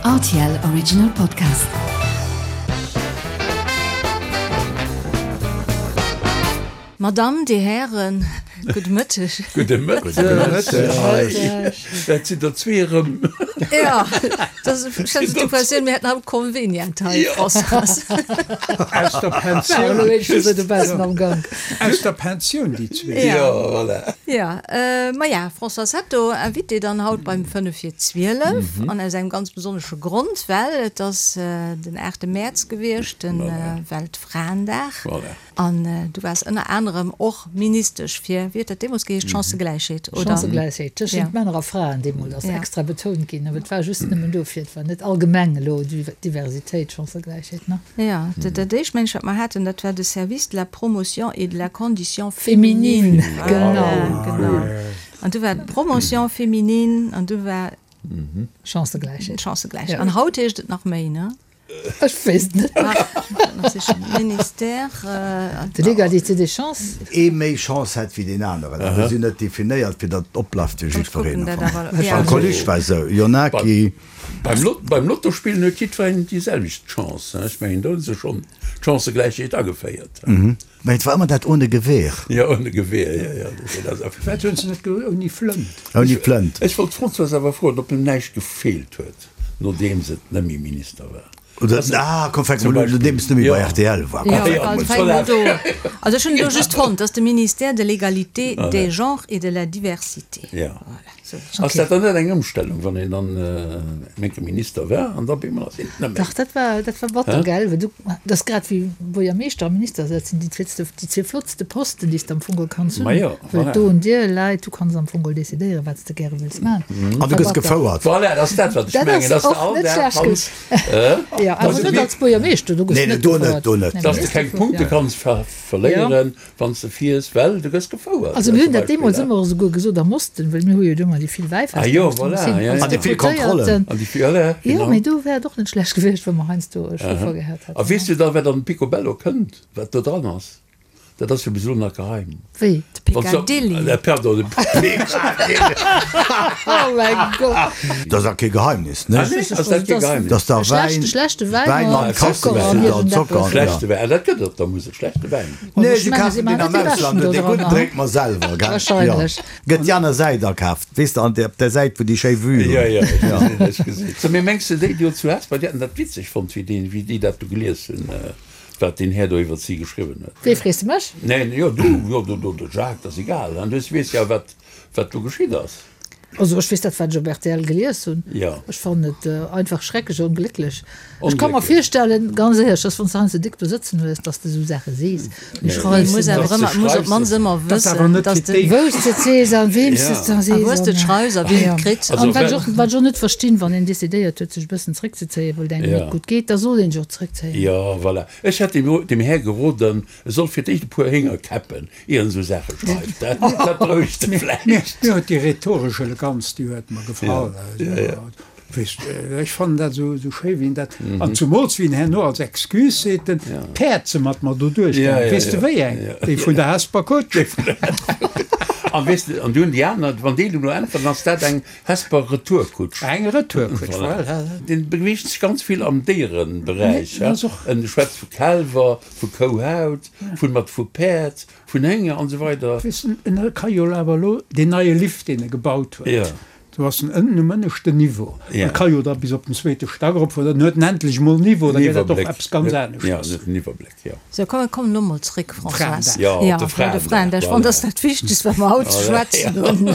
Rtl Original Podcast. Madamm, Dir Hären, gudde Mëtteg. Gudde Mëtteg. Dat sinn der zwee erëm. Jo, dat ech hat d'Impressioun, mir hätten haut Convenient hei, Françoise. Aus der Pensioun. Aus der Pensioun, déi zwee. Jo, voilà. Jo, maja, Françoise Hetto, Invitée dann haut beim 5 vir 12 an aus engem ganz besonnesche Grond, well et ass den 8 Mäerz gewiescht, de Weltfraendag. Voilà. An du waars ënner anerem och Ministesch fir, wéi huet dat deemools geheescht, Chancëgläichheet, oder? Chancëgläichheet tëschent Männer a Fraen deemools ass extra betount ginn, awer et war just nëmmen dofir, et war net allgemeng elo Diversitéit, Chancëgläichheet, ne? Jo, dat éischt mengen ech, wat mer haten, dat war de Service de la promotion et de la condition féminine. Féminine, genau. Genau. An du war d'Promotion féminine an du war. Chancëgläichheet. Chancëgläichheet. An haut heescht et nach méi, ne? Ech weess et net. Ministère. De l'égalité des chances. Ee méi Chance hätt wéi deen aneren. Awer si net definéiert, fir datt et opbleift fir jiddwereen. Beim Coluche war esou, il y en a qui. Beim Lottospillen huet jiddwereen déi selwecht Chance. Ech mengen, do hu se schonn d'Chancëgläichheet ageféiert. Mä et war ëmmer dat ohne Gewehr. Jo, ohne Gewehr, jo, jo. Dat ass. Firwat hunn se net geholl ouni Flënt? Ouni Flënt. Ech wollt d'Françoise awer froen, ob em näischt gefeelt huet. Nodeems et net méi Minister war. Oder, ah, komm, fänke mol un, nodeems et net méi bei rtl war. Jo, also fänke mol do. Also ech hunn elo just fonnt, dass de Ministère de l'Égalité des genres et de la diversité. Jo. Voilà, sou. Ass dat dann net eng Ëmstellung, wann een dann eng Kéier Minister war an da op eemol ass een et net méi? Dach, dat war, dat war batter, gell? Well du, dat ass grad wéi Buergermeeschter a Minister, dat sinn déi zweetste, déi zwee flottste Posten, déi s de am Fong geholl kanns hunn. Ma jo. Well do un dir läit, du kanns am Fong geholl decidéieren, wat s de gäre wëlls maachen. An du gëss gefouert. Voilà, dat ass dat, wat ech mengen, dass de all Dag kanns. Jo, awer net als Buergermeeschter, do gëss de net gefouert. Nee, do net. Dass de keng Punkte kanns verléieren, wann s de fiers, well du gëss gefouert. Also mir hunn dat deemools ëmmer esouguer gesot am Osten, well mir hu jo do ëmmer déi vill Wäifester. Ah jo, voilà, jo, jo. An déi vill Kontrollen. An déi vill, voilà, genau. Jo, mee do wär et och net schlecht gewiescht, wa mer heiansdo e Chauffer gehat hätten. A weess du da, wat an dem Picobello kënnt, wat do dran ass? Dat ass jo bis elo nach geheim. Wéi? De Piccadilly. Pardon, de Piccadilly. Oh mäi Gott! Dat ass awer kee Geheimnis, ne? Ah nee, ass dat kee Geheimnis? Dass da Wäin, Schlechte Wäin mat Zocker an Zocker, Schlechte Wäin, ah dat gëtt et op der Musel, schlechte Wäin. Nee, se kafen deen am Ausland, dee gudden drénke mer selwer, gell? Wahrscheinlech. Gëtt déi aner Säit akaaft, weess de, an op der Säit, wou déi schéi Vue hunn. Jo, jo, ech gesinn, ech gesinn. So, mee mengs de, déi do zu Hesper, déi hätten dat witzeg fonnt, wéi déi, wéi déi dat do gelies hunn? Wat deen Här do iwwert si geschriwwen huet. Wee frees de mech? Neen, jo du, jo du, du, de Jacques, dat ass egal, hein, du weess jo wat, wat do geschitt ass. Also ech weess dat, wat ech op rtl gelies hunn. Jo. Ech fannen et einfach schrecklech onglécklech. Ech ka mer virstellen, ganz éierlech, dass wann s de heiansdo déck do sëtzen hues, dass de esou Saache sees. Mee schreifs Muss de awer net. ëmmer, muss op d'mannst ëmmer Dat ass awer wëssen, net dass fir de. d'éischt. Wou s de et sees a weem s de et da A sees wou s de et an. schreifs a wien et kritt. An wat ech och, wat ech och net verstinn, wann een decidéiert huet, sech e bëssen zréckzezéien, well et engem net gutt geet, da soll een sech och zréckzéien. Jo, voilà. Ech hätt dem, dem Här geroden, e soll fir d'éischt e puer Hénger käppen, ier en esou Saache schreift. Dat, dat berouegt e vläicht. Mir huet déi rhetoresch Eleganz, déi huet mer gefall. Weess, ech fannen dat esou, esou schéi, wéi en dat, an zumools wéi en herno als Excuse seet, den, d'Päerd se mat mer do duerchgaangen. Weess de wéi eng? Déi vun der Hesper Kutsch. An weess de, an du hunn déi aner, wann déi elo äntweren, ass dat eng Hesper Retourkutsch. Eng Retourkutsch, voilà. Deen beweegt sech ganz vill am Déiereberäich. En schwätzt vu Kälwer, vu Kouhaut, vun mat vu Päerd, vun Hénger an esou weider. Weess de, en ka jo awer elo deen neie Lift, deen e gebaut huet, do ass en ënnen um ënneschten Niveau, e ka jo da bis op den zweete Stack eropfueren, dann huet en endlech emol Niveau, da gëtt dat och eppes ganz aneschters. Jo, en huet en Iwwerbléck, jo. Sou, komm, mir kommen elo mol zréck, Françoise. Jo, op de Fraendag. Ech fannen, dat ass dat Wichtegst, wat mer haut ze schwätzen hunn.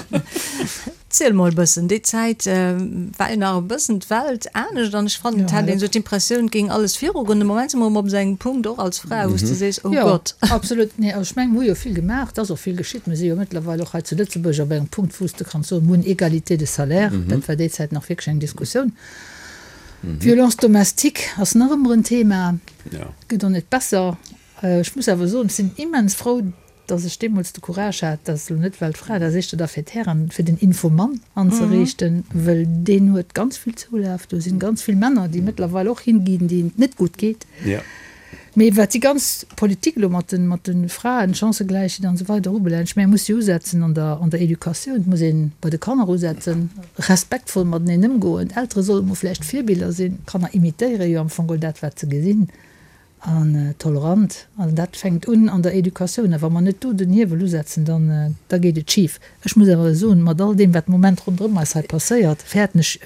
Ziel mol e bëssen, déi Zäit war jo nach e bëssen d'Welt anescht an ech fannen, et hat een esou d'Impressioun, et géing alles virugoen. De Moment si mer erëm op esou engem Punkt, och als Fra, wou s de sees, oh Gott. Jo, absolut. Nee, also ech mengen, mir hu jo vill gemaach, et ass och vill geschitt. Mir si jo mëttlerweil och hei zu Lëtzebuerg op engem Punkt, wou s de kanns soen, mir hunn Égalité de salaire. Dat war déi Zäit nach wierklech eng Diskussioun. Violence domestique ass nach ëmmer en Thema, gëtt och net besser. Ech muss awer soen, ech sinn immens frou, dass ech deemools de Courage hat, dat ass elo net well d'Fra, dat ass éischter da fir d'Hären, fir den Infomann anzeriichten, wëll deen huet ganz vill Zoulaf. Do sinn ganz vill Männer, déi mëttlerweil och hinginn, deenen et net gutt geet. Mee wat déi ganz Politik elo mat de, mat de Fraen, Chancëgläichheet an esou weider ubelaangt, ech mengen, et muss jo usetzen an der, an der Educatioun, et muss ee bei de Kanner usetzen, respektvoll mateneen ëmgoen. D'Eltere solle mol vläicht Virbiller sinn. D'Kanner imitéiere jo am Fong geholl dat, wat se gesinn. An tolerant. An dat fänkt un an der Educatioun. A wa mer net do den Hiewel usetzen, dann, da geet et schif. Ech muss awer soen, mat all deem, wat de Moment ronderëm eis hei passéiert, fäerten ech,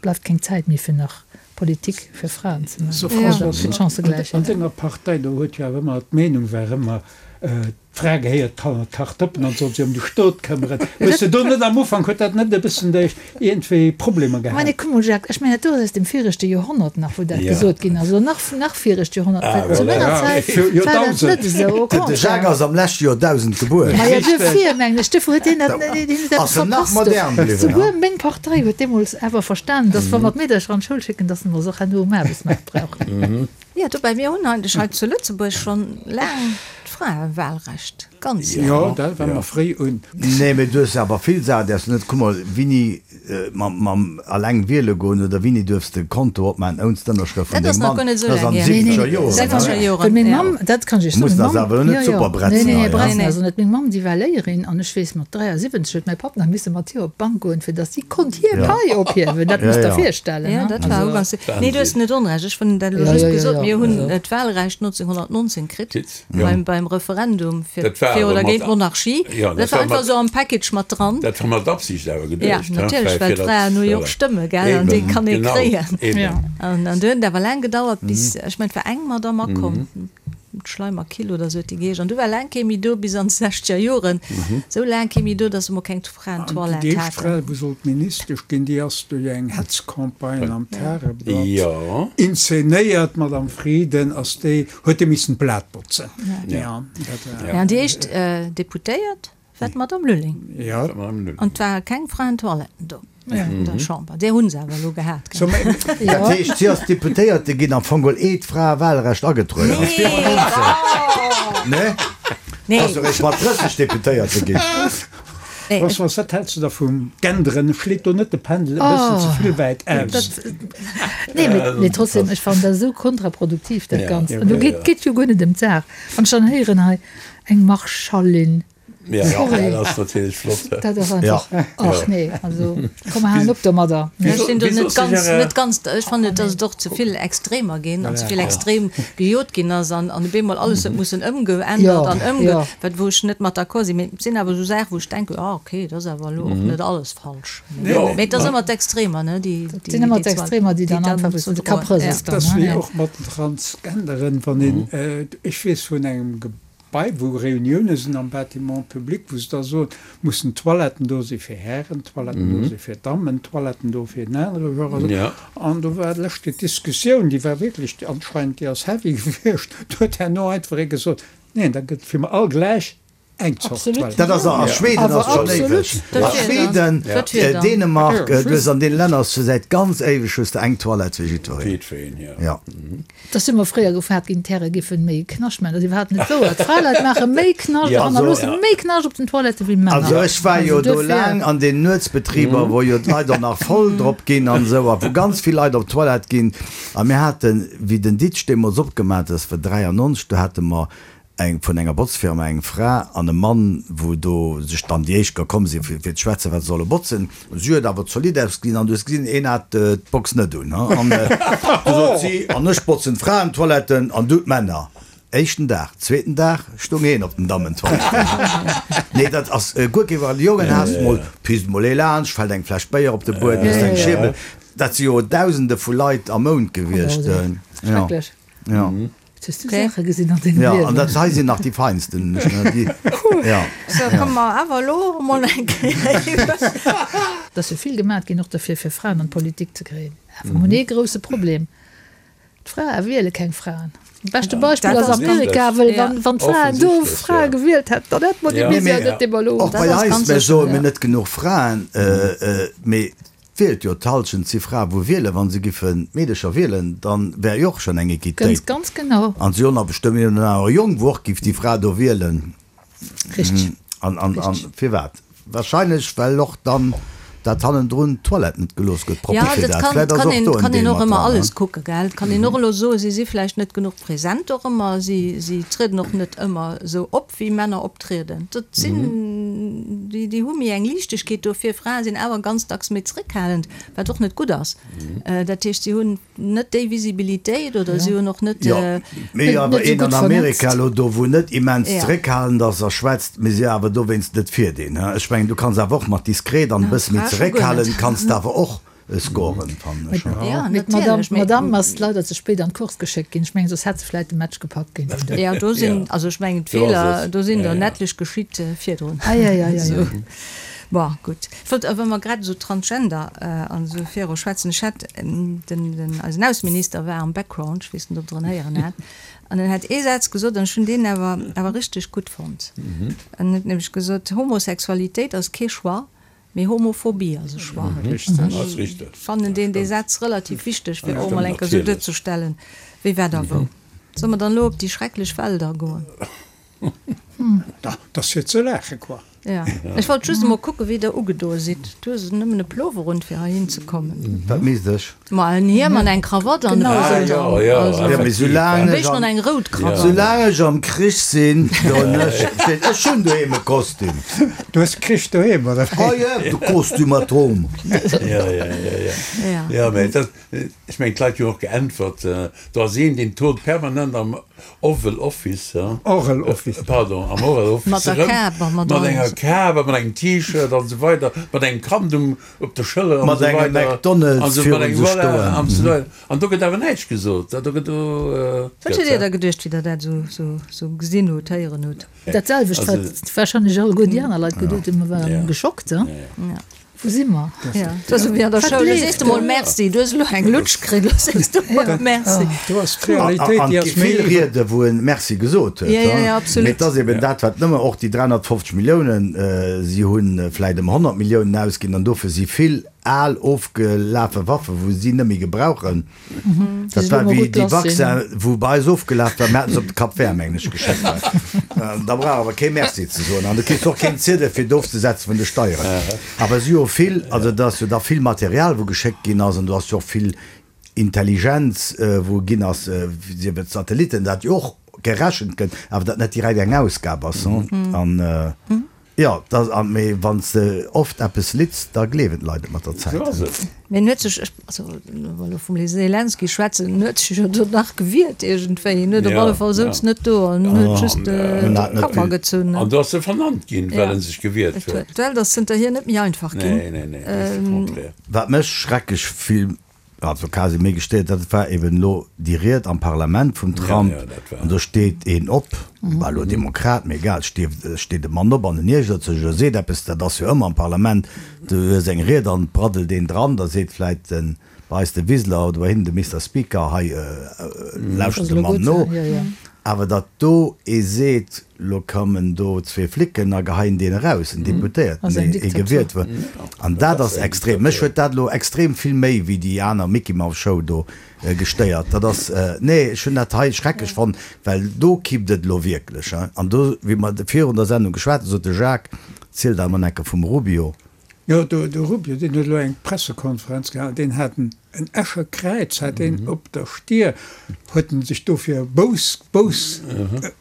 bleift keng Zäit méi fir nach Politik fir Fraen ze maachen, also fir d'Chancëgläichheet. An denger Partei, do huet jo awer ëmmer, d'Meenung war ëmmer, D'Fra gehéiert d'Kanner, d'Kachdëppen an soll sech ëm de Stot këmmeren. Hues de do net am Ufank, huet dat net e bëssen dech iergendwéi Problemer gehat? Mä kuck mol Jacques, ech mengen dat do ass aus dem viregte Joerhonnert nach, wou dat gesot ginn ass, oder nach, nach viregt Joerhonnert, well zu menger Zäit war dat net esou, au De Jacques contraire. ass am leschte Joerdausend gebuer. Ma jo, duerfir mengen ech, duerfir huet hien dat, hien huet eppes Ass en nach verpasst do. modern bliwwen, Souguer meng Partei huet deemools awer verstanen, dass wa mer d'Meedercher an d'Schoul schécken, dass mer se och herno um Aarbechtsmaart brauchen. Jo, dobäi, mir hunn eigentlech hei zu Lëtzebuerg schonn laang d'Fraewahlrecht, ganz laang. Jo, dat war mer fréi un. Nee, mee du hues awer vill Saachen, déi s du net, kuck mol, wini mam alleng wiele goen oder wini duerfs de Konto opmaachen ounst d'Ënnerschrëft vun Dat ass dengem nach Mann, guer net esou dat ass laang an de hier. siwwenzeger Joren, Sechzeger ne? Joren, Well meng ja. Mamm, dat kann ech Iech soen, Mussen meng ass Mamm, awer elo jo, net jo, super nee, bretzen nee, nee, hei, he? bretzen ass se net. Meng Mamm, déi war Léierin an ech weess, mat 73 huet mäi Papp nach misse mat hir op d'Bank goen, fir datt si konnt hir Pai ophiewen. Dat muss der virstellen, Ja, ne? dat war Also. ugangs. Nee, du hues net Onrecht. Ech hunn dat elo Ja, just ja, ja, gesot. ja, Mir hunn also. d'Wahlrecht 1919 kritt Kritt, ja. beim, beim Referendum fir, Dat war fir awer oder mat géint d'Monarchie. Ja, Dat dat war war einfach mat esou am Package mat dran. Dat war mat Absicht awer Ja, geduecht, he, natierlech, well well fir d'Fraen dat hu jo och voilà. Stëmme, gell, an déi Eben, kann ee genau, kréien. eben. Ja. An, an du huet et awer laang gedauert, bis, ech mengen, et war eng Madamm akomm, Schleimer Kill oder sou huet déi geheescht. An du war laang kee méi do, bis an d'sechzeger Joren, esou laang kee méi do, datt se mol keng An déi Fraentoilette éischt Fra, haten. wou sollt Ministesch ginn, déi ass duerch eng Hetzcampagne am Tageblatt Jo. inzenéiert, d'Madame Frieden, ass déi, huet déi missen d'Blat botzen. Ja, dat war. Ja, an déi éischt Deputéiert war d'Madame Lulling. Ja. An et ware keng Fraentoiletten do an der Chamber. Där hu se awer elo gehat, gell? Dat heescht, si ass Deputéierte ginn am Fong geholl eeh d'Fraewahlrecht agetrueden ass, 94? Nee? Nee. Ass eréischt mat 30 Deputéierte ginn. Françoise, wat häls de da vum Genderen? Schléit do net de Pendel e bëssen ze vill wäit aus? Nee, mee trotzdem, ech fannen dat esou kontraproduktiv, dat Ganzt. An do geet et jo guer net ëm d'Saach. Wann ech dann héieren hei, eng Marschallin, sorry, Dat ass natierlech flott. Dat ass einfach, ach nee, also komm mer halen op domadder. Ech sinn do net ganz, net ganz, ech fannen, datt et och ze vill Extremer ginn an ze vill extrem gejot ginn ass an op eemol alles huet mussen ëmgeännert an ëmge, wat wou ech net mat d'accord sinn. Mee et sinn awer esou Saachen, wou ech denken, ah okay, dat ass awer elo och net alles falsch. Mee et ass ëmmer d'Extremer, ne, déi, Et sinn ëmmer d'Extremer, déi dann einfach wou de Kapp rëselt Dat ass wéi och mat den Transgenderen, wann een, ech weess vun engem Gebai, wou Reunioune sinn am Bâtiment public, wou se da soen, mussen Toiletten do si fir Hären, Toiletten do si fir Dammen, Toiletten do fir en anere Genre. An do war d'lescht Kéier d'Diskussioun, déi war wierklech anscheinend, déi ass heavy gewiescht, do huet herno einfach ee gesot, neen, da gëtt fir mer all gläich eng Zort Toilette. Dat ass a Schweden ass schonn éiweg. A Schweden, Dänemark, du hues an deene Länner ass scho säit ganz éiweg hues de eng Toilette fir jiddwereen. Jo. Et ass jo emol fréier gefaart ginn, d'Häre giffen méi Knascht maachen. Dat ass iwwerhaapt net wouer. D'Fraleit maache méi Knascht a hannerloosse méi Knascht op den Toilettë wéi d'Männer. Also ech war jo do laang an den Nuetsbetriber, wou jo d'Leit och nach voll drop ginn an esou a wou ganz vill Leit op d'Toilette ginn. A mir haten, wéi den Ditsch deemools opgemaach ass, war 93, do hate mer eng vun enger Botzfirma, eng Fra an e Mann, wou do sech dann déi éischt gekomm sinn, fir ze schwätzen, wat se solle botzen. Si huet awer zolidd ausgesinn an du hues gesinn, een hat d'Box net un. An du sot si, an ech botzen d'Fraentoiletten an du d'Männer. Éischten Dag, zweeten Dag stung een op den Dammentoiletten. Nee, dat ass guer kee, well Jongen has de mol, pisst mol ee laanscht, fält eng Fläsch Béier op de Buedem, hues eng Schierbel. Dat si jo Dausende vu Leit am Mount gewiescht. Schrecklech. Jo. Hues du Saache gesinn an dengem Ja, Liewen? an dat hei sinn nach déi feinsten. Déi, ja. Sou, komme mer awer elo emol eng Kéier iwwer. Et ass jo vill gemat ginn och derfir, fir Fraen an d'Politik ze kréien. Awer mer hunn ee grousse Problem, D'Frae wiele keng Fraen. Beschte Beispill Dat ass ass ganz Amerika, well ja. wann, wann d'Fraen do Offensichtlech, Frae ja. gewielt hätten, dann hätte mer déi Ja. Misär net, déi mer elo Och hunn. Dat bei ass eis, ganz mir sécher, soe mir ja. net genuch Fraen, mee Et wielt jo d'Halschent si Frae wou wielen. Wa se giffen d'Meedecher wielen, dann wär jo och schonn eng Equitéit. Ganz, ganz genau. An si hunn nach bestëmmt een oder anere Jong wou och giff déi Fra do wielen. Richteg. An, an, an Richteg. firwat? Wahrscheinlech well och dann. Dat hannendrun d'Toilette net gelooss gëtt propper fir dat. Vläit ass och do en Deel mat dran. Alles kucke gell. Et kann een och elo soen, si si vläicht net genuch present och ëmmer, si si trieden och net ëmmer esou op wéi Männer optrieden. Dat sinn déi déi hu méi eng Liichtegkeet dofir. Frae sinn awer ganz dacks méi zeréckhalend, wat och net gutt ass. Dat heescht, si hunn net déi Visibilitéit oder si hunn och net. Jo, mee awer een an Amerika elo do, wou net immens zeréckhalend ass a schwätzt, mee si awer dowéinst net fir deen. Ech mengen, du kanns awer och mat diskret an e bësse méi zeréckhalend kanns de awer och scoren, fannen ech. Jo, mee d'Madame ass leider ze spéit an d'Course geschéckt ginn. Ech mengen, soss hätt se vläit de Match gepackt géint den Do. Jo, do sinn, also ech mengen, d'Feeler, do sinn der en etlech geschitt virdrun. Ei, ei, ei, ei, ei. Bon, gutt. Ech wollt, wa mer grad esou Transgender an esou viru schwätzen, ech hat den, den, eisen Ausseminister war am Background, ech weess net, ob Der en héieren hat, an en hat ee Saz gesot an ech hunn deen awer, awer richteg gutt fonnt. En huet nämlech gesot, Homosexualitéit ass kee Choix, mee Homophobie ass e Choix. Ech fannen deen, dee Saz relativ wichteg, fir och emol eng Kéier esou duerzestellen, wéi wat a wou. Solle mer dann elo op déi schrecklech Welt agoen? Dat ass fir ze laachen, quoi. Ja, ech wollt just emol kucken, wéi der ugedoe sidd. Du hues nëmmen e Plover un, fir heihin ze kommen. Wat misst ech? Ma en Hiem an eng Krawatt an e Ah, jo, jo, Also, Ja, mee soulaang am ech beschten am, an eng rout Krawatt. soulaang ech am Krich sinn, doen ech, versteet, ech hunn doheem e Kostüm. Du hues Krich doheem, oder wéi? Ah ja, de Costume at home. Ja, ja, ja, ja. Ja. Ja, mee dat, Ech mengen, d'Leit hunn och geäntwert, do ass een, deen turnt permanent am Oval Office, Oral Office. Pardon, am Oral Office Mat der erëm, Kap a mat mat enger alles. Kap a mat engem T-Shirt an esou weider, mat engem Kand um, op der Schëller an Mat esou engem weider, an McDonald's esou, mat virun engem, sech voilà, stoen. an esou weider. An do gëtt awer näischt gesot, do gëtt do, Wat hutt Dir da geduecht, wéi Der dat esou, esou, esou gesinn hutt, héieren hutt? Dat selwecht, wat warscheinlech alleguer déi aner Leit geduet hunn, mer waren geschockt, he? Ja. Wou si mer? Ja, dat ass ewéi an der Schoul, lo sees de mol Merci, du hues elo eng Lutsch kritt, lo sees de mol Merci. Do ass d'Realitéit, An déi et ass gi méi vill Riede wou en Merci gesot huet. Ja, ja, ja, absolut. Mee et ass eben dat, wat nëmme och déi 350 Milliounen, si hu vläicht ëm 100 Milliounen ausginn an dofir si vill al ofgelafe Waffe wou si net méi gebrauchen. Dat war wéi déi Vaccin, wou bei eis ofgelaf war, mir haten se op de Cap Vert, mengen ech, geschéckt. Da brauch awer kee Merci ze soen an du kriss och keen Ziedel fir et ofzesetze vun de Steieren. Awer si hu vill, also et ass jo da vill Material wou geschéckt ginn ass an do ass jo och vill Intelligenz wou ginn ass, sief et Satellitten, dat jo och gerechent gëtt, awer dat net direkt eng Ausgab ass. An Jo, dat, an, mee wann s de oft eppes litz, da gleewen d'Leit et mat der Zäit. Sou ass et. Mee en huet sech, also wa mer elo vum Zelensky schwätzen, en huet sech jo do nach gewiert iergendwéi. En huet op alle Fall souz net do an huet just d'Kammer gezunn. An do ass e vernannt ginn, well en sech gewiert huet. D'Welt ass zënterhier net méi einfach ginn. Nee, nee, nee, just de Contraire. Wat mech schrecklech vill Also quasi méi gestéiert, dat war eben elo déi Ried am Parlament vum Trump, an do steet een op, war elo Demokrat, mee egal, steet e Mann op an en iergert sech oder seet eppes, dat ass jo ëmmer am Parlament, du hues eng Ried an et braddelt een dran, da seet vläit den, bei eis de Wiseler oder bei hinnen de Mister Speaker, hei lauschtert de Mann no. Awer datt do ee seet, lo kommen do zwee Flicken a geheien deen eraus, en Deputéierten, deen ee gewielt huet, an dat ass extrem. Mech huet dat elo extrem vill méi wéi déi aner Mickey-Mouse-Show do gestéiert. Dat ass, nee, ech hunn dat hei schrecklech fonnt, well do kippt et elo wierklech. An do, wéi mer virun der Sendung geschwat hunn, sot de Jacques, ziel der emol enke vum Rubio. Jo, de Rubio, deen huet elo eng Pressekonferenz gehalen, deen hat en Escher Kräiz hat deen op der Stier, huet en sech dofir bous, bous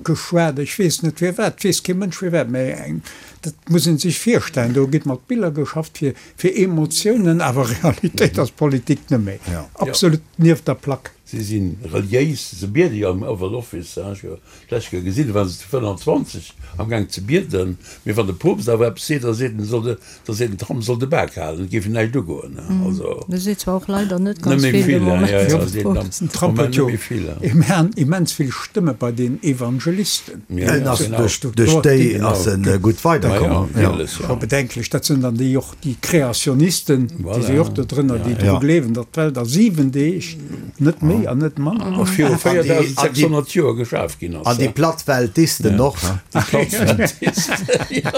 geschwat, ech weess net firwat, weess kee Mënsch firwat, mä eng, dat muss ee sech virstellen, do gëtt mat Biller geschafft fir, fir Emotiounen, awer Realitéit ass Politik net méi, absolut nieft der Plack. Si si reliéis, se biede jo am Oval Office, ech hu d'lescht Kéier gesinn, do waren se zu 25 am Gaang ze bieden. Mee wann de Poopst awer eppes seet, da seet en, soll de, da seet den Trump, soll de Bak halen, et géif en näischt ugoen. Also. Dee seet zwar och leider net ganz vill de Moment, de Poopst. Den Trump huet jo immens vill Stëmme bei den Evangelisten. En ass duerch, duerch déi ass en gutt weiderkomm. Scho bedenklech, dat sinn dann déi och, déi Kreationisten, déi si och do drënner, déi dru gleewen, datt d'Welt a 7 Deeg, net méi. Méi an net manner. A viru 4600 Joer geschaf ginn ass. An déi Plattweltisten och. Déi Plattweltisten, jo.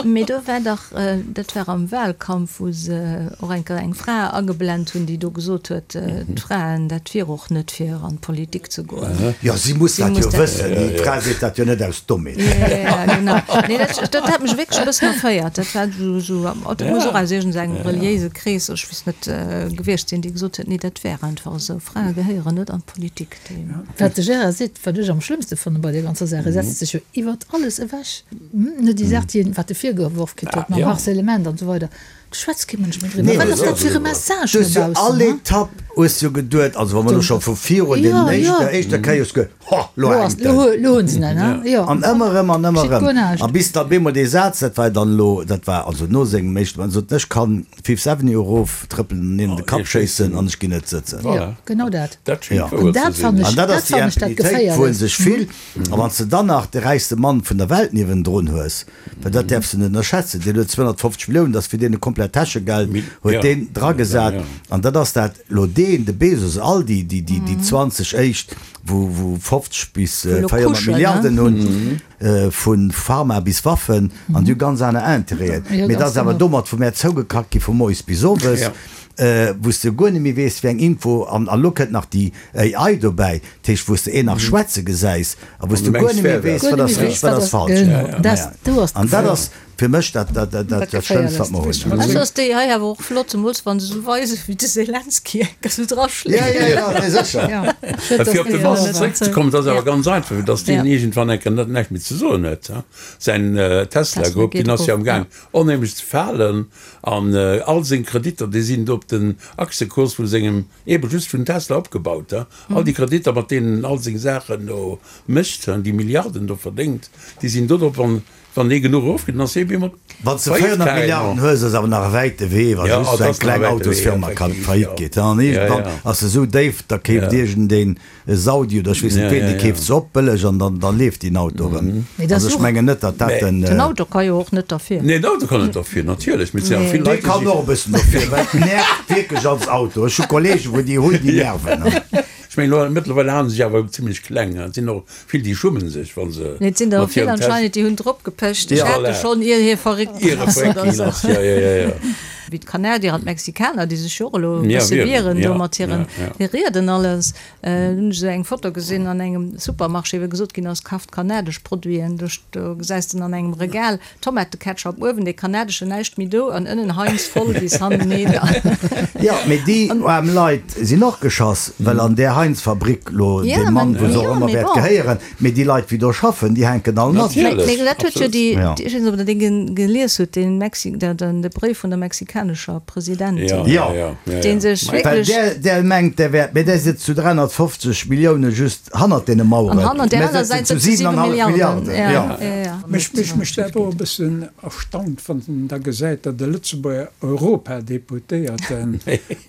Mee do war dach, dat war am Wahlkampf, wou se och eng Kéier eng Fra ageblent hunn, déi do gesot huet, d'Fraen, dat wier och net fir an d'Politik ze goen. Jo, si muss dat jo wëssen. Déi Fra seet dat jo net aus Dommheet. Jo, jo, genau. Nee, dat, dat hat mech wierklech e bëssen erféiert. Dat war esou, esou, dat muss och aus iergendengem reliéise Krees, ech weess net, gewiescht sinn, déi gesot huet, nee, dat wär einfach esou, Frae gehéieren net an d'Politik. Déi. Wat de Gérard seet, wat ech am schlëmmste fanne bei där ganzer Saach, e setzt sech jo iwwert alles ewech. Net déi Saach, déi en, wat e virgeworf kritt huet mam Harcèlement an esou weider, do schwätzt kee Mënsch méi driwwer. Wat ass dat fir e Message Du hues no jo baussen, all he? Etapp hues jo geduet, also wa mer elo scho vu virun deenen éischten, der éischter Kéier hues geduet, Ho, lo hänkt en. Lo hunn se en, he? Jo. An ëmmer erëm an ëmmer Geschitt erëm. guer näischt. A bis da bemol dee Saz, dat war dann elo, dat war also no sengem éischten, en sot, ech kann Fifth Avenue erof trëppelen an een an de Kapp schéissen an ech ginn net sëtzen. Jo, genau dat. Dat schéngt Ja. wouer An ze dat sinn. fannen An ech, dat dat ass déi fannen ech dat Impunitéit, wou en Geféierlechst. sech fillt. A wann s de dann nach de räichste Mann vun der Welt niewendrun hues, well dat däerfs de net ënnerschätzen, deen huet 250 Milliounen, dat ass fir deen e komplett Täschegeld, huet deen dragesat. An dat ass dat elo deen, de Bezos, all déi, déi, déi, déi 20 éischt, wou, wou 50 bis 400 Milliarden hunn, vu Pharma bis Waffen, an déi hu ganz aner Interêten. Mee dat ass awer domat vu mär zougekackt gi vu moies bis owes. Wou s de guer net méi weess, wéi eng Info, an elo kënnt nach déi AI dobäi, dat heescht, wou s de een nach schwätze gesäis a wou s de guer net méi weess, wat ass richteg, wat ass falsch. An dat ass fir mech dat Schlëmmst, wat mer hunn. Also ass déi AI awer och flott, zemools wa se esou weisen, wéi de Selenskyj enk esou draschléit. Jo, jo, jo, nee, sécher. Fir op de Mars zeréckzekommen, dat ass awer ganz einfach, fir datt deen iergendwann eng Kéier net näischt méi ze soen huet. Säin Tesla Group, deen ass jo amgaang onheemlech ze falen. An all seng Kreditter, déi sinn do op den Aktiekurs vu sengem, eebe just vun Tesla opgebaut. All déi Kreditter, mat deenen en all seng Saachen do mécht, déi Milliarden do verdéngt, déi sinn do drop. An wann dee genuch erofgeet, dann ass hie bemol Wann s de 400 Milliarden hues, ass awer nach e wäite Wee, wa just esou eng kleng Autosfirma kann faillite geet. An iergendwann ass se esou déif, da keeft iergendeen E Saudi oder ech weess net ween, dee keeft se op bëlleg an dann dann leeft deen Auto erëm. Also ech mengen net, datt dat den. Den Auto ka jo och net derfir. Nee, den Auto kann net derfir, natierlech, mee et sinn awer vill Dee Leit, déi kann si. och e bëssen dofir, well et nervt wierklech als Auto. Ech hu Kollegen, wou déi hunn, déi nerven. Ech mengen elo, mëttlerweil halen se sech awer zimlech kleng. Et sinn och vill, déi schummen sech, wa se Nee, et sinn der och mat vill hirem Test. anscheinend, déi hunn drop gepecht. Ech Ja, hat e voilà. schonn, ier hie verréckt Ier ginn e ass verréckt oder ginn esou. ass, ja, ja, ja, ja. Wéi d'Kanadier an d'Mexikaner, déi sech jo och elo e Ja, bësse wieren, wieren do ja, mat hiren ja, ja. Rieden alles. Hunn ech esou eng Foto gesinn an engem Supermarché, wou gesot ginn ass, Kaft kanadesch Produiten. Do do gesäis de an engem Regal Tomateketchup, uewen dee kanadeschen, näischt méi do, an ënnen Heinz voll bis hanneneder. Jo, mee déi aarm Leit sinn och geschoss, well an där Heinz-Fabrik lo dee Mann, wou se och ëmmer wäert gehéieren, mee déi Leit, wéi do schaffen, déi hänken all mat. Natierlech, Mee dat huet jo absolut. déi, ech weess net, ob Der dee gelies hutt, dee Mexi, de Bréif vun der mexikanescher Presidentin, Jo, dee sech well wierklech. där, där mengt, där wäert, mee där sëtzt zu 350 Millioune just hannert deene Maueren, An hannert där mä aner sëtzen Säit zu sëtze 7 7,5 Milliarden. Milliarden. Ja, Jo. ja, ja. Mech, mech mécht dat och e bëssen erstaunt, wann en da gesäit, datt e Lëtzebuerger Europadeputéierten,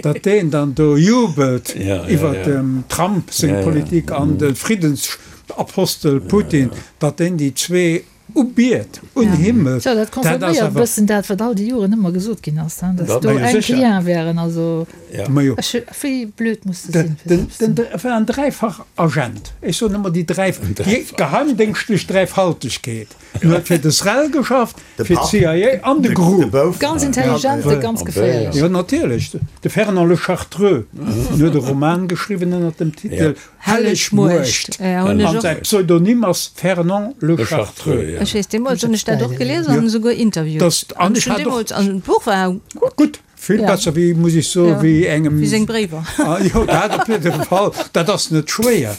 datt deen dann do jubelt iwwert dem Trump seng Politik an de Friddensapostel Putin, datt deen déi zwee Ubiet, unhimmelt, Tjo, dat dat ass confirméiert e awer. bëssen dat, wat all déi Joren ëmmer gesot ginn ass, hein, dass do Majo, enk sécher. Lien wären. Also, Majo. ech, wéi blöd muss de sinn, fir Den, sou eppes ze den, den war en dräifach Agent. Ech soen ëmmer déi dräi, déi geheimdéngschtlech Dräifaltegkeet. En huet fir de SREL geschafft, fir d'CIA an de GRU. Ganz intelligent a ganz geféierlech. Jo, natierlech. De Fernand Lechartreux, en huet e Roman geschriwwen ënner dem Titel Helleg Muecht. An säi Pseudonym ass Fernand Le Chartreux. Ech weess, deemools hunn ech dat och gelies an esouguer interviewt. An ech hat och. An d'Buch war gutt. Vill besser wéi, muss ech soen, wéi engem. Wéi seng Bréiwer. Jo, dat op jidde Fall. Dat ass net schwéier.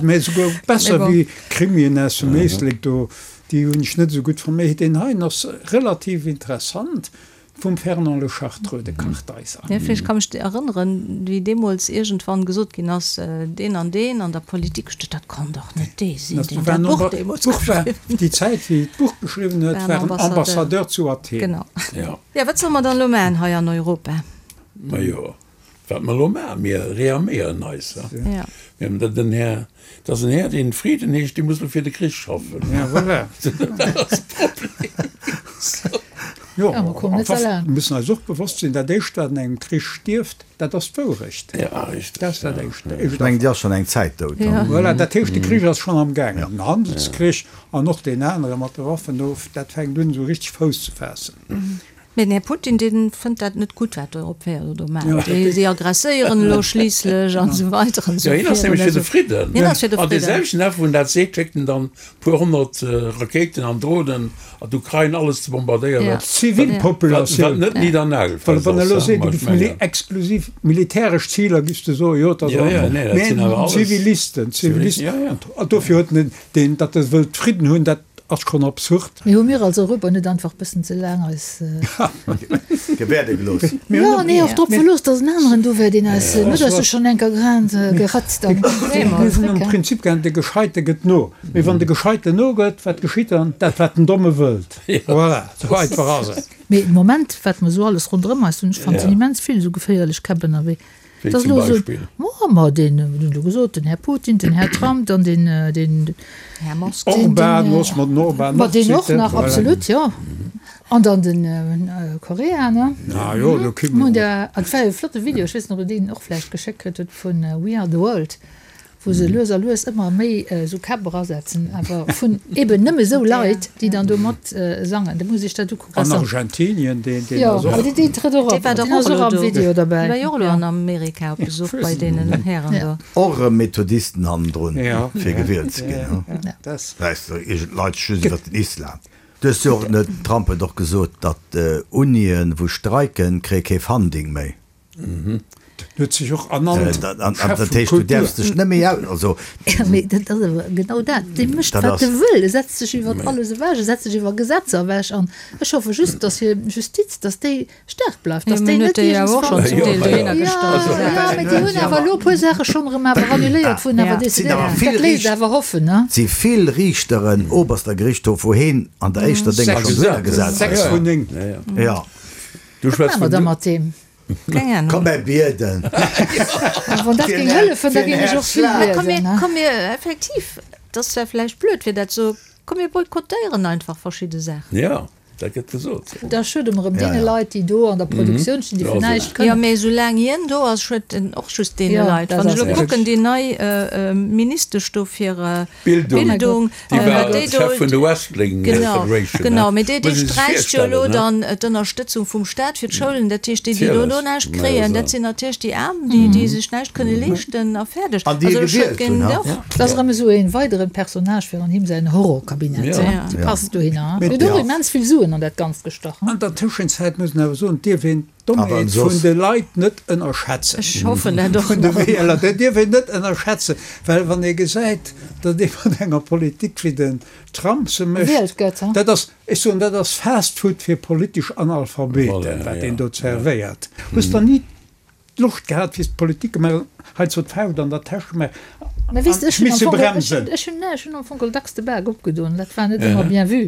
Mä esouguer besser wéi Krimien aus dem Éislek do. Déi hunn ech net esou gutt fonnt. Mä deen heien ass relativ interessant. Vum Fernand Le Chartreux, de Kartheiser. Jo, ech ka mech erënneren, wéi deemools iergendwann gesot ginn ass, deen an deen an der Politik, ech duecht, dat kann dach net dee sinn, deen dat Buch deemools geschriwwen huet. Déi Zäit, wéi d'Buch geschriwwen huet, war en Ambassadeur zu Athen. Genau. Jo, wat solle mer dann elo maachen hei an Europa? Majo, wat mer elo maachen, mir rearméieren eis. Mir hunn den Här, dat ass en Här, deen Frieden heescht, dee muss elo fir de Krich schaffen. Ja, voilà. Dat ass de Problem. Jo, mir müssen eis och bewosst sinn, dat Éischt, wat an engem Krich stierft, dat ass d'Wourecht. Dat ass dat Éischt. Ech mengen, déi ass schonn eng Zäit dout. Voilà, dat heescht, de Krich ass schonn am gaangen, den Handelskrich an och deen anere mat de Waffen do, dat fänkt un esou richteg Fouss ze faassen. Mee den Här Putin, dee fënnt dat net gutt, wat d'Europäer elo do maachen. Déi, si aggresséieren elo schliisslech an esou weider an esou Jo, hien ass virun. nämlech fir de Fridden. Hien ass fir de An dee Fridden. selwechten Dag, wou en dat seet, schéckt en dann e puer honnert Rakéiten an Dronen an d'Ukrain, alles ze bombardéieren, Ja. wat, wat, Zivilpopulatioun. wat net niddernaagelfest Well wann ass, elo hein. seet, Ma et ech giff mili mengen. exklusiv militäresch Ziler, giffs de soen, jo, et ass Ja, och ja, en nee, dat sinn Mä awer alles. Zivilisten, Zivilisten. Ja, ja. An dofir huet en deen, datt e wëllt Fridden hunn, dat Ass schon absurd. Mee hu mir als Europa net einfach bëssen ze laang eis. Gewäerde gelooss? Jo, nee, och drop verlooss, datt en aneren do wär, deen eis net eis do schonn enker grad geratzt an. Mir hunn am Prinzip gär, de Gescheite gëtt no. Mee wann de Gescheiten nogëtt, wat geschitt dann? Dat, wat den Domme wëllt. Voilà, esou einfach ass et. Mee de Moment, wat mer esou alles ronderëm eis hunn, ech fannen, et sinn immens vill esou geféierlech Käpp ënnerwee. Wéi Dass zum elo esou, Beispill? Ma, ma deen, hunn elo gesot, den Här Putin, den Här Trump, dann deen, deen, Här Musk. deen, Orban, deen, loosse mer den Orban ma och deen och zitten, nach, voilà. absolut, jo. An dann den Korea, ne? Ah jo, do kritt Hunn mer. der, an et war jo e flotte Video, ech weess net, ob Der deen och vläicht geschéckt kritt hutt, vun We Are the World, wou se lues a lues ëmmer méi esou Käpp erasetzen, awer vun eben nëmme esou Leit, déi dann do mat sangen. Da muss ech dat ukucken. An Argentinien, deen, deen Jo, ass och. awer deen trëtt och Dee op, war deen dach ass och och elo am do. Video Dee derbäi. war jo och elo an Amerika op Besuch bei deenen Hären do. Och erëm Methodisten hannendrun, Ja. fir gewielt ze ginn. Ja, das. Weess de, iergend Leit just iwwer den Islam. Du hues jo och, den Trump huet och gesot, datt Unien, wou streiken, kréie kee Funding méi. Den huet sech och ernannt Chef Dat vu heescht, du Kultur. däerfs dech net méi aus, also. Jo, mee dat ass awer genau dat. Dee mécht, Dat wat ass. e wëll. E setzt sech iwwer alles ewech, e setzt sech iwwer Gesetzer ewech. An ech hoffe just, datt hir Justiz, datt déi staark bleift, Jo, datt mee déi huet net déi awer och schonn iergendswann. zum Deel dohinner Jo, gestallt. jo, mee déi hunn awer elo e puer Saache schonn erëm awer annuléiert, wou en awer Ja. Sinn awer decidéiert. vill Dat léisst Riicht. awer hoffen, ne? Et si vill Riichteren, Oberster Gerichtshof, wou heen an der éischter Dénger schonn dohinner gesat 6 huet. vun 9. Jo. Du Wat schwätz maache mer vun da mat deem? Keng Ahnung. Komm mer bieden. Wann dat géing hëllefen, da géing ech och vill Komm mir, liesen. komm mir, effektiv, dat ass zwar vläicht blöd fir dat ze soen, komm mir boykottéieren einfach verschidde Saachen. Jo, dat gëtt gesot. Da schuede mer erëm deene Leit, déi do an der Produktioun stinn, déi fir näischt Jo, kënnen. mee soulaang hien do ass, schued en och just deene Jo, Leit. dat Wann ech ass elo richtig. kucken, déi nei Ministesch do fir Bildung, Bildung, déi äh, war déi do, Chef vun der Wrestling genau, Federation, genau, ne? mee déi, déi Muss ee sech sträicht jo elo virstellen, ne? dann d'Ënnerstëtzung vum Staat fir d'Schoulen. Dat heescht, déi, déi do elo Natierlech, näischt ma kréien, jo, dat sinn natierlech déi Aarm, déi, déi sech näischt kënne leeschten a fäerdeg. An déi e Also ech gewielt hunn, géing ha? och. Dat ass erëm esou e weideren Personnage fir an him säin Horrorkabinett, Ja. hein? Déi passt dohinner, hein? Huet och immens vill Suen an dat Ganzt gestach, hein? An der Tëschenzäit muss een awer soen, dierf een Awer d'Dommheet soss. vun de Leit net ënnerschätzen. Ech hoffen dat och Vun de nach. Wieler, dat dierf een net ënnerschätzen, well wann ee gesäit, datt ee mat enger Politik wéi den Trump se mécht, Gewielt gëtt, hein? dat ass, ech soen, dat ass Fast Food fir politesch Analphabeten, Voilà, wat ja. deen do zerwéiert. Hues der ni d'Loscht gehat, wéi s d'Politik gemaach hues, hei zur d'Fauscht an der Täsch gemaach Mä weess de, an ech hunn am misse Fong, ech hunn, bremsen? ech hunn, ech hunn am Fong geholl dacks de Bak opgedoen, dat war net ëmmer bien vu.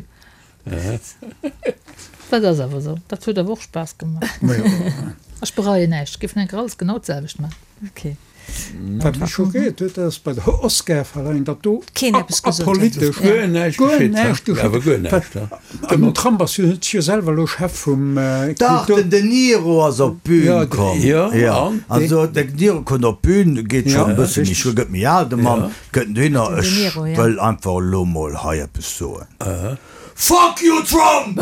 Dat ass awer esou. Dat huet awer och Spaass gemaach. Ech bereien näischt. Ech géif enker alles genau d'selwecht maachen. Okay. Wat mech schockéiert huet, dat ass bei der Oscarverleihung, datt do Keen eppes gesot huet. apolitesch Guer näischt guer geschitt, näischt ha? Awer guer geschitt. näischt, ha? An den Trump ass jo jo selwer elo Chef vum Dach, Kultur. den De Niro ass op d'Bün Ja, komm. Ja, Ja, an? also den De Niro kënnt op d'Bün, geet Ja, schonn e bësse méi richtig. schwéier, gëtt méi al, de Mann, kënnt dohinner, Den De ech Niro, ja. wëll einfach elo mol hei eppes soen. Fuck you Trump!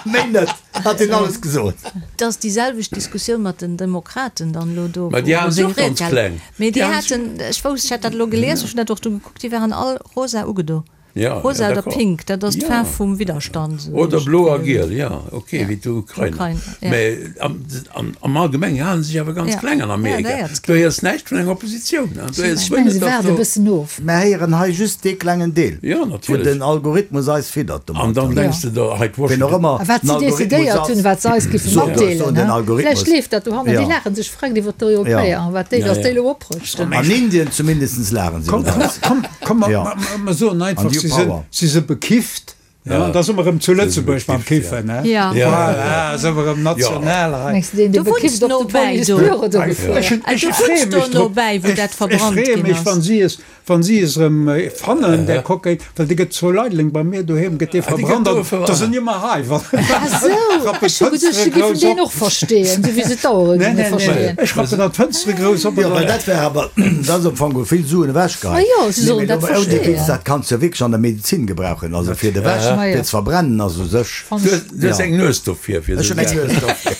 Méi net, hat hien alles gesot. Et ass déi selwecht Diskussioun mat den Demokraten dann elo do, Mä déi wou hate seng se och Ried ganz gehalen. kleng. Mee déi Déi hate haten, ech wousst, ech hat dat elo gelies, ech hunn dat och do gekuckt, déi waren all rosa ugedo. Ja, Rosa ja, oder d'accord. pink, dat ass Ja. d'Faarf vum Widderstand, esou Oder hunn ech blo a d'Gefill. giel, ja, okay, Ja. wéi d'Ukrainer. Ukrain, ja. Mä am, am, am Allgemengen hale se sech awer ganz Ja. kleng an Ja, Amerika. dat ass Du héiers näischt vun enger Oppositioun, ne? Du héiers Ech guer mengen, net, se datt waarde e do. bëssen of. Mer héieren hei just dee klengen Deel, Ja, wou natierlech. den Algorithmus eis fiddert An dann domat. denks de der, hei Ween och d'Washington. ëmmer A wat den si Algorithmus decidéiert ass, hunn, wat se eis giffe sot eis, matdeelen, soen den he? Algorithmus. Vläicht leeft dat dohannen, déi Ja. laachen sech freck iwwer d'Europäer, Ja. an wat déi, Ja, datt déi ja. elo oprëschten. An Indien zumindest laachen se Komm, iwwer eis. komm, komm, Ja. mer soen einfach, An New si sinn, Power. si si bekifft. Ja, da si mer erëm zu Lëtzebuerg mam Kiffen, he? Ja. Voilà, si mer erëm national hei. Mengs de deen, dee Du wunns bekifft op de nobäi do. Police-Büro do gefuer? Ech hunn, Du ech wunns freeë do mech drop. nobäi, wou Ech, dat ech verbrannt freeë ginn mech, ass. wann si es, wann si es erëm fannen, där Cocaine, well dee gëtt zu Leideleng bei mir doheem gëtt dee Ah, dee gëtt verbrannt do an da verbrannt. sinn ëmmer hei, wann Ah sou, rappen ech hu geduecht, d'Fënstere se géifen grouss deen op. och versteeën, sou wéi se d'Auere Nee, géinge nee, nee, versteeën. ech rappen dann d'Fënstere grouss op Jo, an well dann. dat wär awer, dat ass am Fong vill Suen ewechgeheit. Ah jo, se Nee, sollen mee dat lo mol ouni Witz, versteeën. dat kanns du jo wierklech an der Medezin gebrauchen, also fir de Wäsch, Ma jo. fir ze verbrennen ass u sech. Fann Du ech. hues, du hues Ja. eng Nues dofir, fir Ech esou hunn eng Saachen. Nues dofir.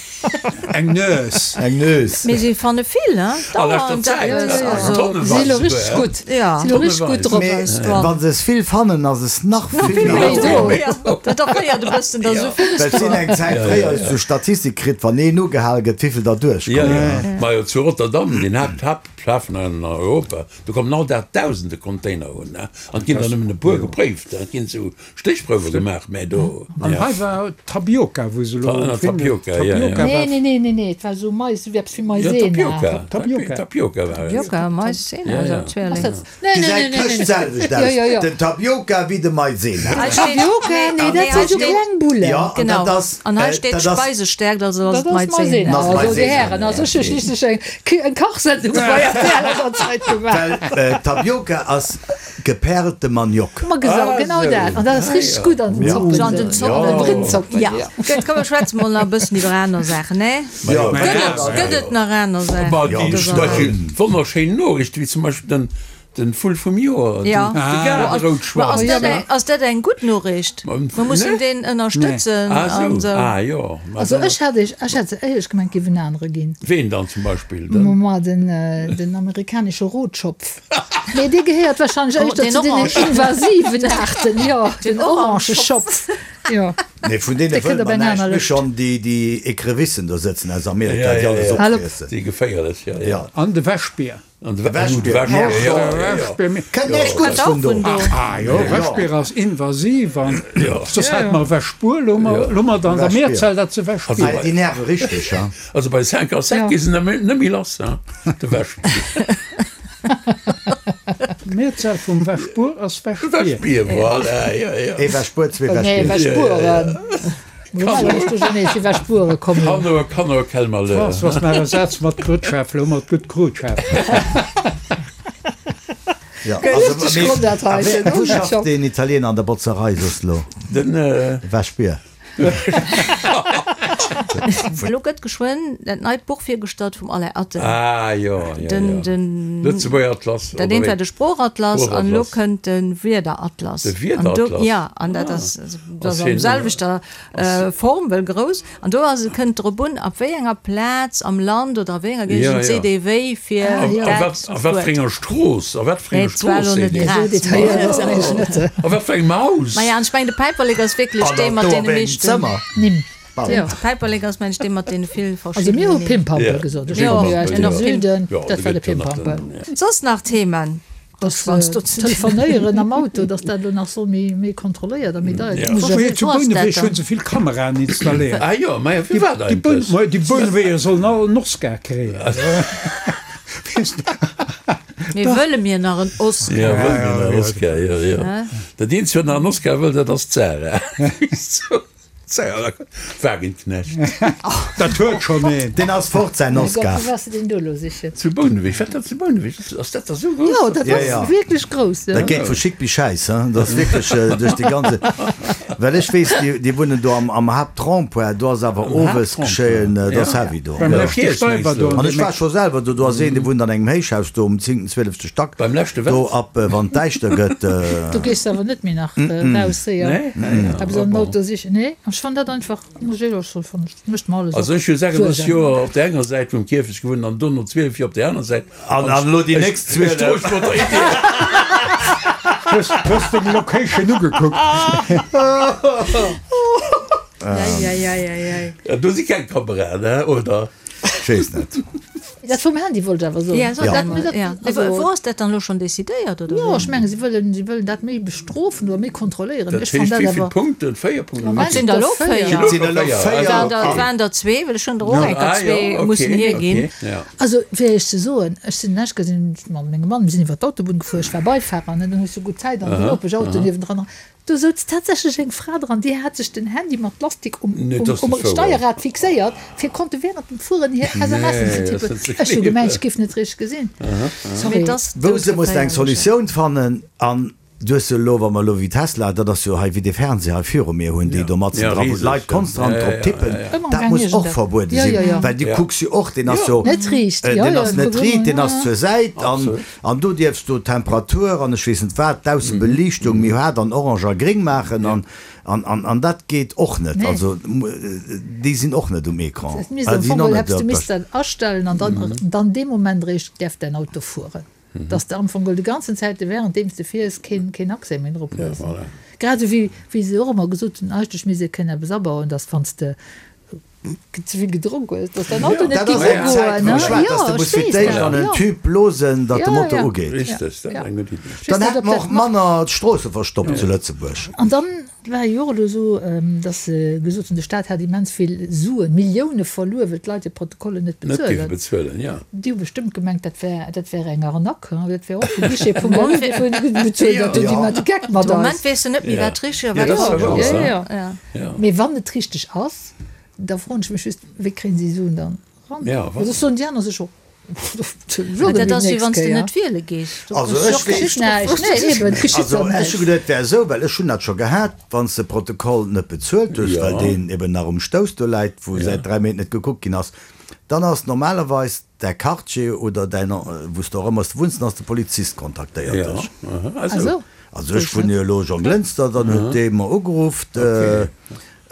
Eng Nues. Eng Nues. Mee si fanne vill, hein? A leschter Dauernd Zäit, eppes, ja, also. tonnenweis Si lo souguer, richteg hein? gutt. Ja. Si lo richteg gutt Tonnenweis. drop. Mee Eis dran. wa se es vill fannen, ass es nach vill méi méi do. do. Ja, dat erféiert e bëssen, datt esou villes Well et do sinn ass. eng Zäit fréier hues du Statistik kritt, wann een ugehal gëtt, wéivill der Ja, duerchkommen. ja. Majo, zu Rotterdam, den Haapt, Haapthafen an Europa, do kommen all Dag dausende Container un, ne? An et ginn der nëmmen e puer gepréift, et ginn esou Stéchprouwe gemaach, mä do, An ja. hei war Tapioca, wou se elo Ta, finden. Tapioca, ja, ja. Tapioca Nee, war. nee, nee, nee, nee, et war esou Mais, esou eppes wéi Ja, Maizena. Tapioca. Tapioca. Tapioca war et. Tapioca, Maizena, Ja, also ja. Zwilling. Ass dat, nee, nee, Gesäit nee, nee, këscht nee. selwecht Ja, aus, ja, ja. den Tapioca wéi de Maizena. Hei steet, Tapioca, nee, nee, dat nee, hei si sou steet, kleng Bullen. Ja, an genau, dat ass, an hei äh, steet dat ass, Speisestärkt, also ass Dat et ass Maizena. Maizena. Ass Also, Dir Maizena. Hären, also ech hu schliisslech eng, eng Kachsendung bei rtl an der Zäit gemaach. well äh, Tapioca ass Geperlte Maniok. Ma gesau, genau dat. An dat ass richteg gutt an den Zoppen. So an den Zoppen. An den Brittzoppen, Ja. ja. Gutt, komm, mir schwätze mol nach e bëssen iwwer aner Saachen, ne? Jo. Gëtt et, gëtt et nach aner Saachen? Ma déi zum Beispill wonnerschéin Noriichten, wéi zum Beispill den, den Vull vum Joer, den, Ja. de Ma Gaarderoutschwanz. ass dat eng, ass dat eng gutt Noriicht? Mer mussen deen ënnerstëtzen Ah an sou, esou. ah jo. Ma Also dann, ech hätt ech, ech hätt se éierlech gemengt, géif en anere ginn. ween dann zum Beispill? Den? Ma den, den amerikanesche Rotschopf. Mee dee gehéiert wahrscheinlech éischter Den zu deenen Orange. invasiven Aarten, jo, den Orangeschopf, jo. Nee, vun deene Dee wëlle kënnt op mer eng näischt. aner Mir Lëscht. schonn déi, déi Ecrevissen do sëtzen aus Amerika, Ja, déi ja, alles ja. Hal op. opfriessen. Déi geféierlech, ja, ja. Ja. An de Wäschbier. An de De Wäschbier. Wäschbier, Ja, ja, ja, ja. Wäschbier. Kënnt näischt Gutts Wat vun och do. vun do. Ah jo, Wäschbier ass invasiv an soss hätt mer Wäschbuer, lo Ja. mer mer dann der Wäschbier. Mehrzahl dat se Wäschbier. Ah, déi nerve richteg, ha. Also bei 5 à 7 gi se net méi lass, hein, de Wäschbier. D'Mehrzahl vum Wäschbuer ass Wäschbier. Wäschbier, voilà, jo, jo. Ee Wäschbuer, zwee Nee, Wäschbier. Wäschbueren. Wäschbuere kommen. Kanner, Kanner, quel malheur. François, maach e Saz mat Grutschäffel, hu mer d'gutt Krutschäffel. Ja, Richtig also, Grond, dat mee, heiten. a wéi, wou schafft deen Italiener an der Botzerei soss lo? Den, Wäschbier. Elo gëtt geschwënn dat neit Buch virgestallt vum Alain Atten. Ah jo, jo, Den, jo. den, Lëtzebuerger Atlas, dat oder eent war wéi? de Sproochatlas an elo Sproochatlas. kënnt de Wierderatlas. De An do, Wierderatlas? ja, an dat Ah. ass, dat Ass ass am hien, selwechter Form, wëll grouss. An do ass et, kënnt drop un, ab wéi enger Plaz am Land oder a wéi enger Ja, Géigend ja. seet ee wéi fir A, a dat wat, a wat fir Wuert. enger Strooss, a wat fir Nee, enger et war Strooss elo seet net een? grad. Esou detailléiert ass eigentlech net. A wat fir engem Haus? Maja, an ech mengen, de Päiperlek ass wierklech An dee dann mat do deene op engem meeschten. Zëmmer. Nimm. Pardon. Jo. De Päiperlek ass, mengen ech, dee mat deene vill Also mir hu verschiddenen Nimm. Pimpampel Ja. gesot. Ech Jo, komme jo aus en dem och Pim. Süden, Jo, dat do war de gëtt jo nach Pimpampel. den, Soss nach Themen? Dass Wanns du zu Telefonéieren am Auto, dass dat elo nach soll méi méi kontrolléiert a méi deier Ja. ginn. Muss ech Zu Wo ass dat Bouneweg dann? hunn se vill Kameraen installéiert. Ah jo, maja, firwat Déi eigentlech? Boun, déi Bouneweger sollen all en Oscar kréien. Weess de? Mee wëlle mir nach en Oscar? Ja, wëlle mir nach en Oscar, jo, jo. Dat eenzegt, wat nach en Oscar wëll, dat ass d'Sarah. Wagenknecht. Dat huet schonn een. Deen ass fort, säin Mein Gott, Oscar. wou waars de deen do elo sichen? Zu Bouneweg, wat dat zu Bouneweg? Ass dat da sou grouss? Jo, dat Ja, ass ja. wierklech grouss, jo. Dat geet vu Schick bis Schäiss, hein. Dat ass wierklech duerch déi ganze. Well ech weess, déi, déi wunnen do am, am Haaptrond-point, do ass awer Am owes Haaptrond-point, geschéien, dat ass ja. heavy do. Beim Ja. leschte Kierch, Steiber mengs do du? an An ech dem war Eck. scho selwer do, do ass een, dee wunnt an engem Héichhaus do um zéngten, zwielefte Stack. Beim leschte wat? Do ab, wann et däischter gëtt. Do gees de awer net méi nach raus séier. Nee? Ah ja, Eppes ah an den bon. Auto sichen. Nee, ech fannen dat einfach, muss ech éierlech soen, fannen ech, mécht mer alles Also och ech hu 36 Suergen. Joer op der enger Säit vum Kierfecht gewunnt an dono 12 Joer op der aner Säit. An, an elo déi nächst Ech 12. droeg mat der Idee. Hues, hues deng Location ugekuckt? Eieieiei. Ja, do si keng Kameraen, he, oder? Ech weess net. Dat vum Handy wollt ech awer soen. Ja, so Ja. dat, Dat, ja. also, Wou ass dat dann elo schonn decidéiert, oder Jo, wéi? ech mengen, si wëllen, si wëllen dat méi bestrofen oder méi kontrolléieren. Dat Ech fann heescht dat wéi vill awer. Punkten? 4 Punkten? Moment, Et sinn der elo 4. 4. Et sinn elo 4. 4. Et waren der, et waren der zwee, well ech hunn der och eng Kéier Ah, zwee jo, mussen okay, hierginn. okay, ja. Also, fir Iech ze soen, ech sinn lech gesinn mat mengem Mann, mir sinn iwwer d'Autobunn gefuer, ech war Beifahrer, ne, dann hues du gutt Zäit an den Nopeschauto niewendran. Do souz tatsächlech eng Fra dran, déi hat sech den Handy mat Lastik um Steierrad fixéiert, fir konnte während dem Fueren hir SMSen ze tippen. Ech hu gemengt, ech géif net richteg gesinn. Sorry. Wou se mussen eng Solutioun fannen an du hues jo elo, wa mer elo wéi Tesla, dat ass jo hei wéi dee Fernseher hei viru mir hunn, déi do matzen dra, wou d'Leit konstant drop tippen, dat muss och verbuede sinn, well du kucks jo och, deen ass jo, deen ass net riit, deen ass zur Säit an An do dierfs du d'Temperatur an ech weess net wat, d'Aussebeliichtung méi haart an orange a gréng maachen an an dat geet och net. Also déi sinn och net um Ecran. Dat misst am Fong geholl hättest du missten astellen an dann dann dee Moment eréischt däerf däin Auto fueren. Dass de am Fong geholl déi ganzen Zäite währenddeems de fiers keen keen Accès méi drop hues. Grad esou wéi wéi se och ëmmer gesot hunn, eigentlech misst ee kënnen eppes abauen, dass wann s de ze vill gedronk hues, dass dein Auto net Dat ass eng Zäit, wou ech war, dass de muss fir d'éischt an en Tube blosen, datt de Motor ugeet. Richteg, dat ass eng gutt Iddi. Dann hätte mer och manner d'Stroosse verstoppt zu Lëtzebuerg. An dann war jo och elo esou, dass se gesot hunn, de Staat hätt immens vill Suen, Millioune verluer, well d'Leit hir Protokollen net Net géife bezuelen, jo. Déi hu bestëmmt gemengt, dat wär, dat wär eng Arnaque, hein, dat wär och vu Guichet vum Bank, déi hunn bezuelt, dat hunn déi mat de Geck mat eis. De Moment weess de net méi, wat richteg a wat falsch ass. Mee wann et richteg ass, da froen ech mech just, wéi kréien si Suen dann eran? Well soss soen déi aner sech och, Mä dat ass wéi wann s de net wiele gees. Also ech weess näischt. Nee, eben, et geschitt Also dann ech hu näischt. geduet, et wär esou, well ech hunn dat scho gehat, wann s de Protokoll net bezuelt hues, well deen eben nach um Stouss do läit, wou säit 3 Méint net gekuckt ginn ass, dann ass normalerweis däi Quartier oder däin, wou s de och ëmmer wunns, dann ass de Polizist kontaktéiert dech. Ah sou. Also ech wunnen jo elo Jonglënster, dann huet dee mer ugeruff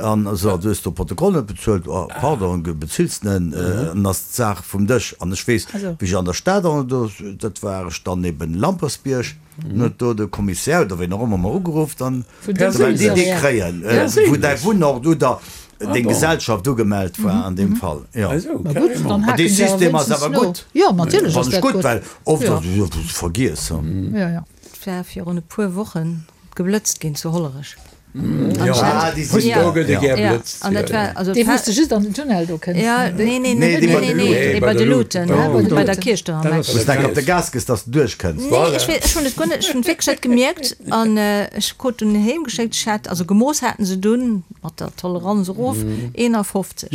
an esou, du hues do Protokoll net bezuelt, oh pardon, bezills de en, an ass d'Saach vum Dësch. An ech weess, wéi ech an der Stad, an do, dat war ech dann eben Lampersbierg, dann huet do de Kommissär oder ween och ëmmer mer ugeruff, dann, well déi dee kréien, wou däi Wunnort oder deng Gesellschaft ugemellt war an deem Fall, jo. Mä dee System ass awer gutt, fannen ech gutt, well oft ass et jo vergiess. Et war virun e puer Wochen geblëtzt ginn zu Hollerech. Ah, déi sinn do gëtt e gär blëtzt. An dat war also. Dee wou s de just an den Tunnel do kënns. Ja, nee, nee, nee, nee, nee, nee, dee bei de Luuten, bei der Kierch do am Eck. Wou s de enk op de Gas gëss, dass de duerchkënns. Nee, ech weess, ech hunn et guer net, ech hunn et wierklech net gemierkt an ech krut dunn heem geschéckt, ech hat, also gemooss haten se dunn mat der Toleranz erof, 51.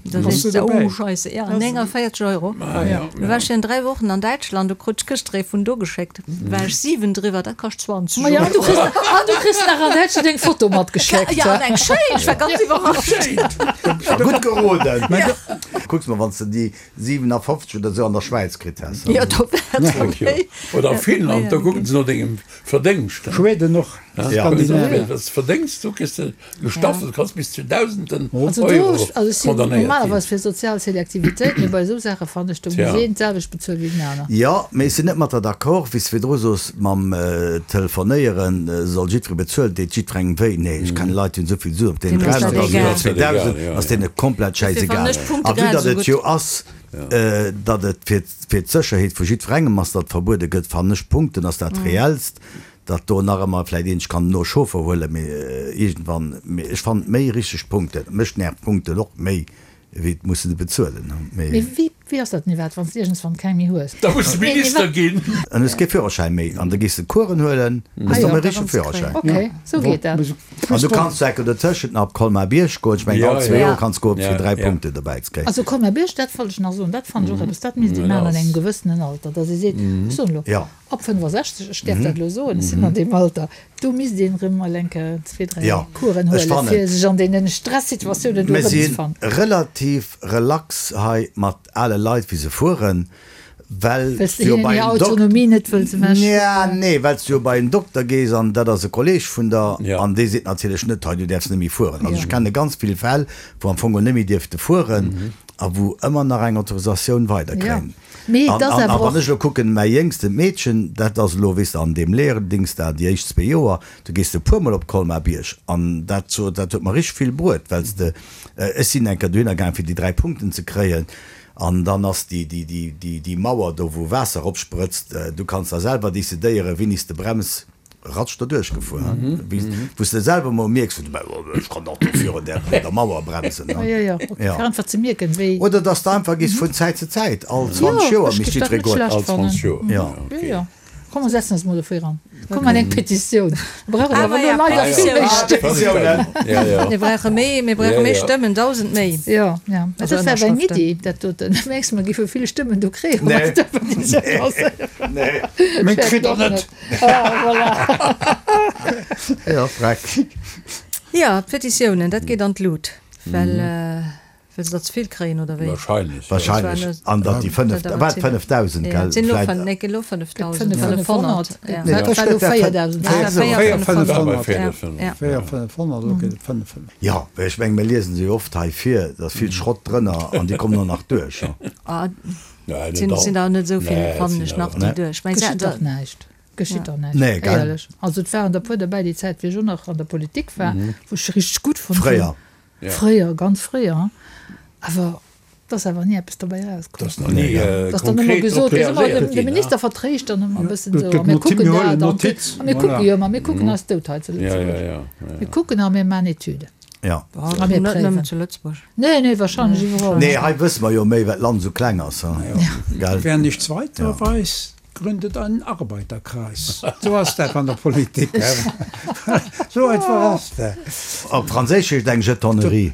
Da sees de, oh Scheisse, ja, 49 Euro. Du war ech virun 3 Wochen an Däitschland, do krut ech gëschter ee vun do geschéckt. War ech 7 driwwer, dat kascht 20 Euro. Maja, an du kriss, an du kriss nach an Däitschland eng Foto matgeschéckt. Ja, an eng schéin, ech war ganz iwwerrascht. Gutt geroden. Kucks mol, wann s de déi 57 oder esou an der Schwäiz kritt häss. Jo, do wär et okay. Oder a Finnland, do kucken se no dengem Verdéngscht. Schweden och, Skandinavien. Wat s de verdéngs, do kriss de Gestaffelt kanns bis zu Dausenden Also do, Euro also ech sinn condamnéiert ginn. normalerweis fir sozial Selektivitéit, mee bei esou Saache fannen ech, do muss een d'selwecht bezuelen wéi den aner. Jo, mee ech sinn net mat der d'accord, wéi s de virdru sos, mam Telefonéieren soll jiddweree bezuelen, deet jiddwerengem wéi. Nee, ech kennen Leit, déi hunn esou vill Suen, op deenen 300 ass oder 2000 ass deene komplett schäisegal. A vue datt et jo ass, datt et fir d'Sécherheet vu jiddwerengem ass, datt verbuede gëtt, fannen ech, Punkten ass dat reellst. Datt do nach ëmmer vläit een sech kann no Chauffer huelen, mee iergendwann, mee ech fannen méi richteg Punkten, mech nervt Punkten och méi wéi et mussen ze bezuelen, mee. Mee wéi, wéi ass dat Nivat, wann s de iergendswann keng méi hues? Da muss de Minister ginn. An hues kee Führerschäin méi an da gees de Coursen huelen, hues de méi richtege Führerschäin. Ok, sou geet dat. An du kanns zu Ecker dotëschent nach op Colmar-Bierg goen, ech mengen all zwee Joer kanns goen fir 3 Punkten dobäi ze kréien. Also Colmar-Bierg, dat wollt ech nach soen, dat fannen ech och eppes, dat misst ee maachen an engem gewëssenen Alter, datt ee seet, ech soen elo, Ab 65, ech däerf dat elo soen, ech sinn an deem Alter, do misst een erëm mol eng Kéier zwee, dräi Coursen huelen, fir sech an deene Stressituatiounen do Mir si erëmzefannen. relativ relax hei mat ale Leit, wéi se fueren, well Well s s de du jo hinnen bei hir en Dok-, Autonomie net wëlls Nja, nee, well s du jo bei en Dokter gees an dat ass e Kolleeg vun der an dee seet natierlech net, hei du däerfs net méi fueren. Also ech kenne ganz vill Fäll, wou am Fong net méi dierfte fueren a wou ëmmer nach eng Autorisatioun weiderkréien. Mee et ass An awer wann och. ech elo kucken, mäi jéngstent Meedchen, dat ass elo, weess de, an deem Lehrendings da, déi éischt zwee Joer, do gees de e puermol op Colmar-Bierg. An dat, dat huet mer richteg vill bruet, well s de, ech sinn eng Kéier dohinner gaang, fir déi 3 Punkten ze kréien, an dann ass déi, déi, déi, déi, déi Mauer do, wou Waasser eropsprëtzt, du kanns da selwer decidéieren, wéini s de brems. Ratsch derduerch gefuer, wou s de selwer mol mierks, ech kann dach do virun där Mauer bremsen. Oder dass de einfach gees vun Zäit zu Zäit, all 20 Joer misst jiddweree goen. All 20 Joer, ok. Komm mer setzen eis mol dofir an. Komm mer eng Petitioun. Mir brauchen awer elo leider vill méi Stëmmen. Mir brauche méi, mir brauche méi Stëmmen, 1.000 méi. Jo, jo. Dat war awer eng Iddi, dat doten. Mengs de, mer géife vill Stëmmen do kréien, wa mer déi Petitioun lancéieren? Meng kritt der net. Ah, voilà. Jo, freck. Jo, d'Petitiounen, dat geet an d'Lut, well. Well se der ze vill kréien, oder wéi? Wahrscheinlech, jo. Wahrscheinlech. An datt déi 5, wat, 5.000, gell? Et sinn elo, nee, elo 5.500. Nee, dat war elo 4.000. 4.500, elo gëtt et 5.500. Jo, well ech mengen, mir liesen se jo oft hei vir, da ass vill Schrott drënner an déi kommen och nach duerch. Et sinn der net esou vill, fannen ech, nach, déi duerch. Mä Geschitt dach näischt. Geschitt dach näischt. Nee, gell? Éierlech. Also et waren der puer derbäi déi Zäit, wéi ech och nach an der Politik war, wou ech richteg gutt fonnt hunn. Fréier. Fréier, ganz fréier, awer et ass awer ni eppes dobäi erauskomm. Et ass nach ni Et ass dann ëmmer konkret gesot, drop reagéiert de ginn. Minister vertréischt dann ëmmer e bëssen esou, Et a gëtt mir Notiz, kucken mir dat huelen an Notiz, a mir voilà. kucke jo, ma mir kucken eis dout hei zu Lëtzebuerg. Mir kucken a mir maachen Etüden. Ja. A mir Net préiwen. nëmmen zu Lëtzebuerg. Nee, nee, wahrscheinlech iwwerall. Nee, hei wësse mer jo méi, well d'Land esou kleng ass, gell? Wer nichts weiter weiß, gründet einen Arbeiterkreis. Sou ass dat an der Politik. Sou einfach ass dat. Op Franséisch heescht eng Jetonnerie.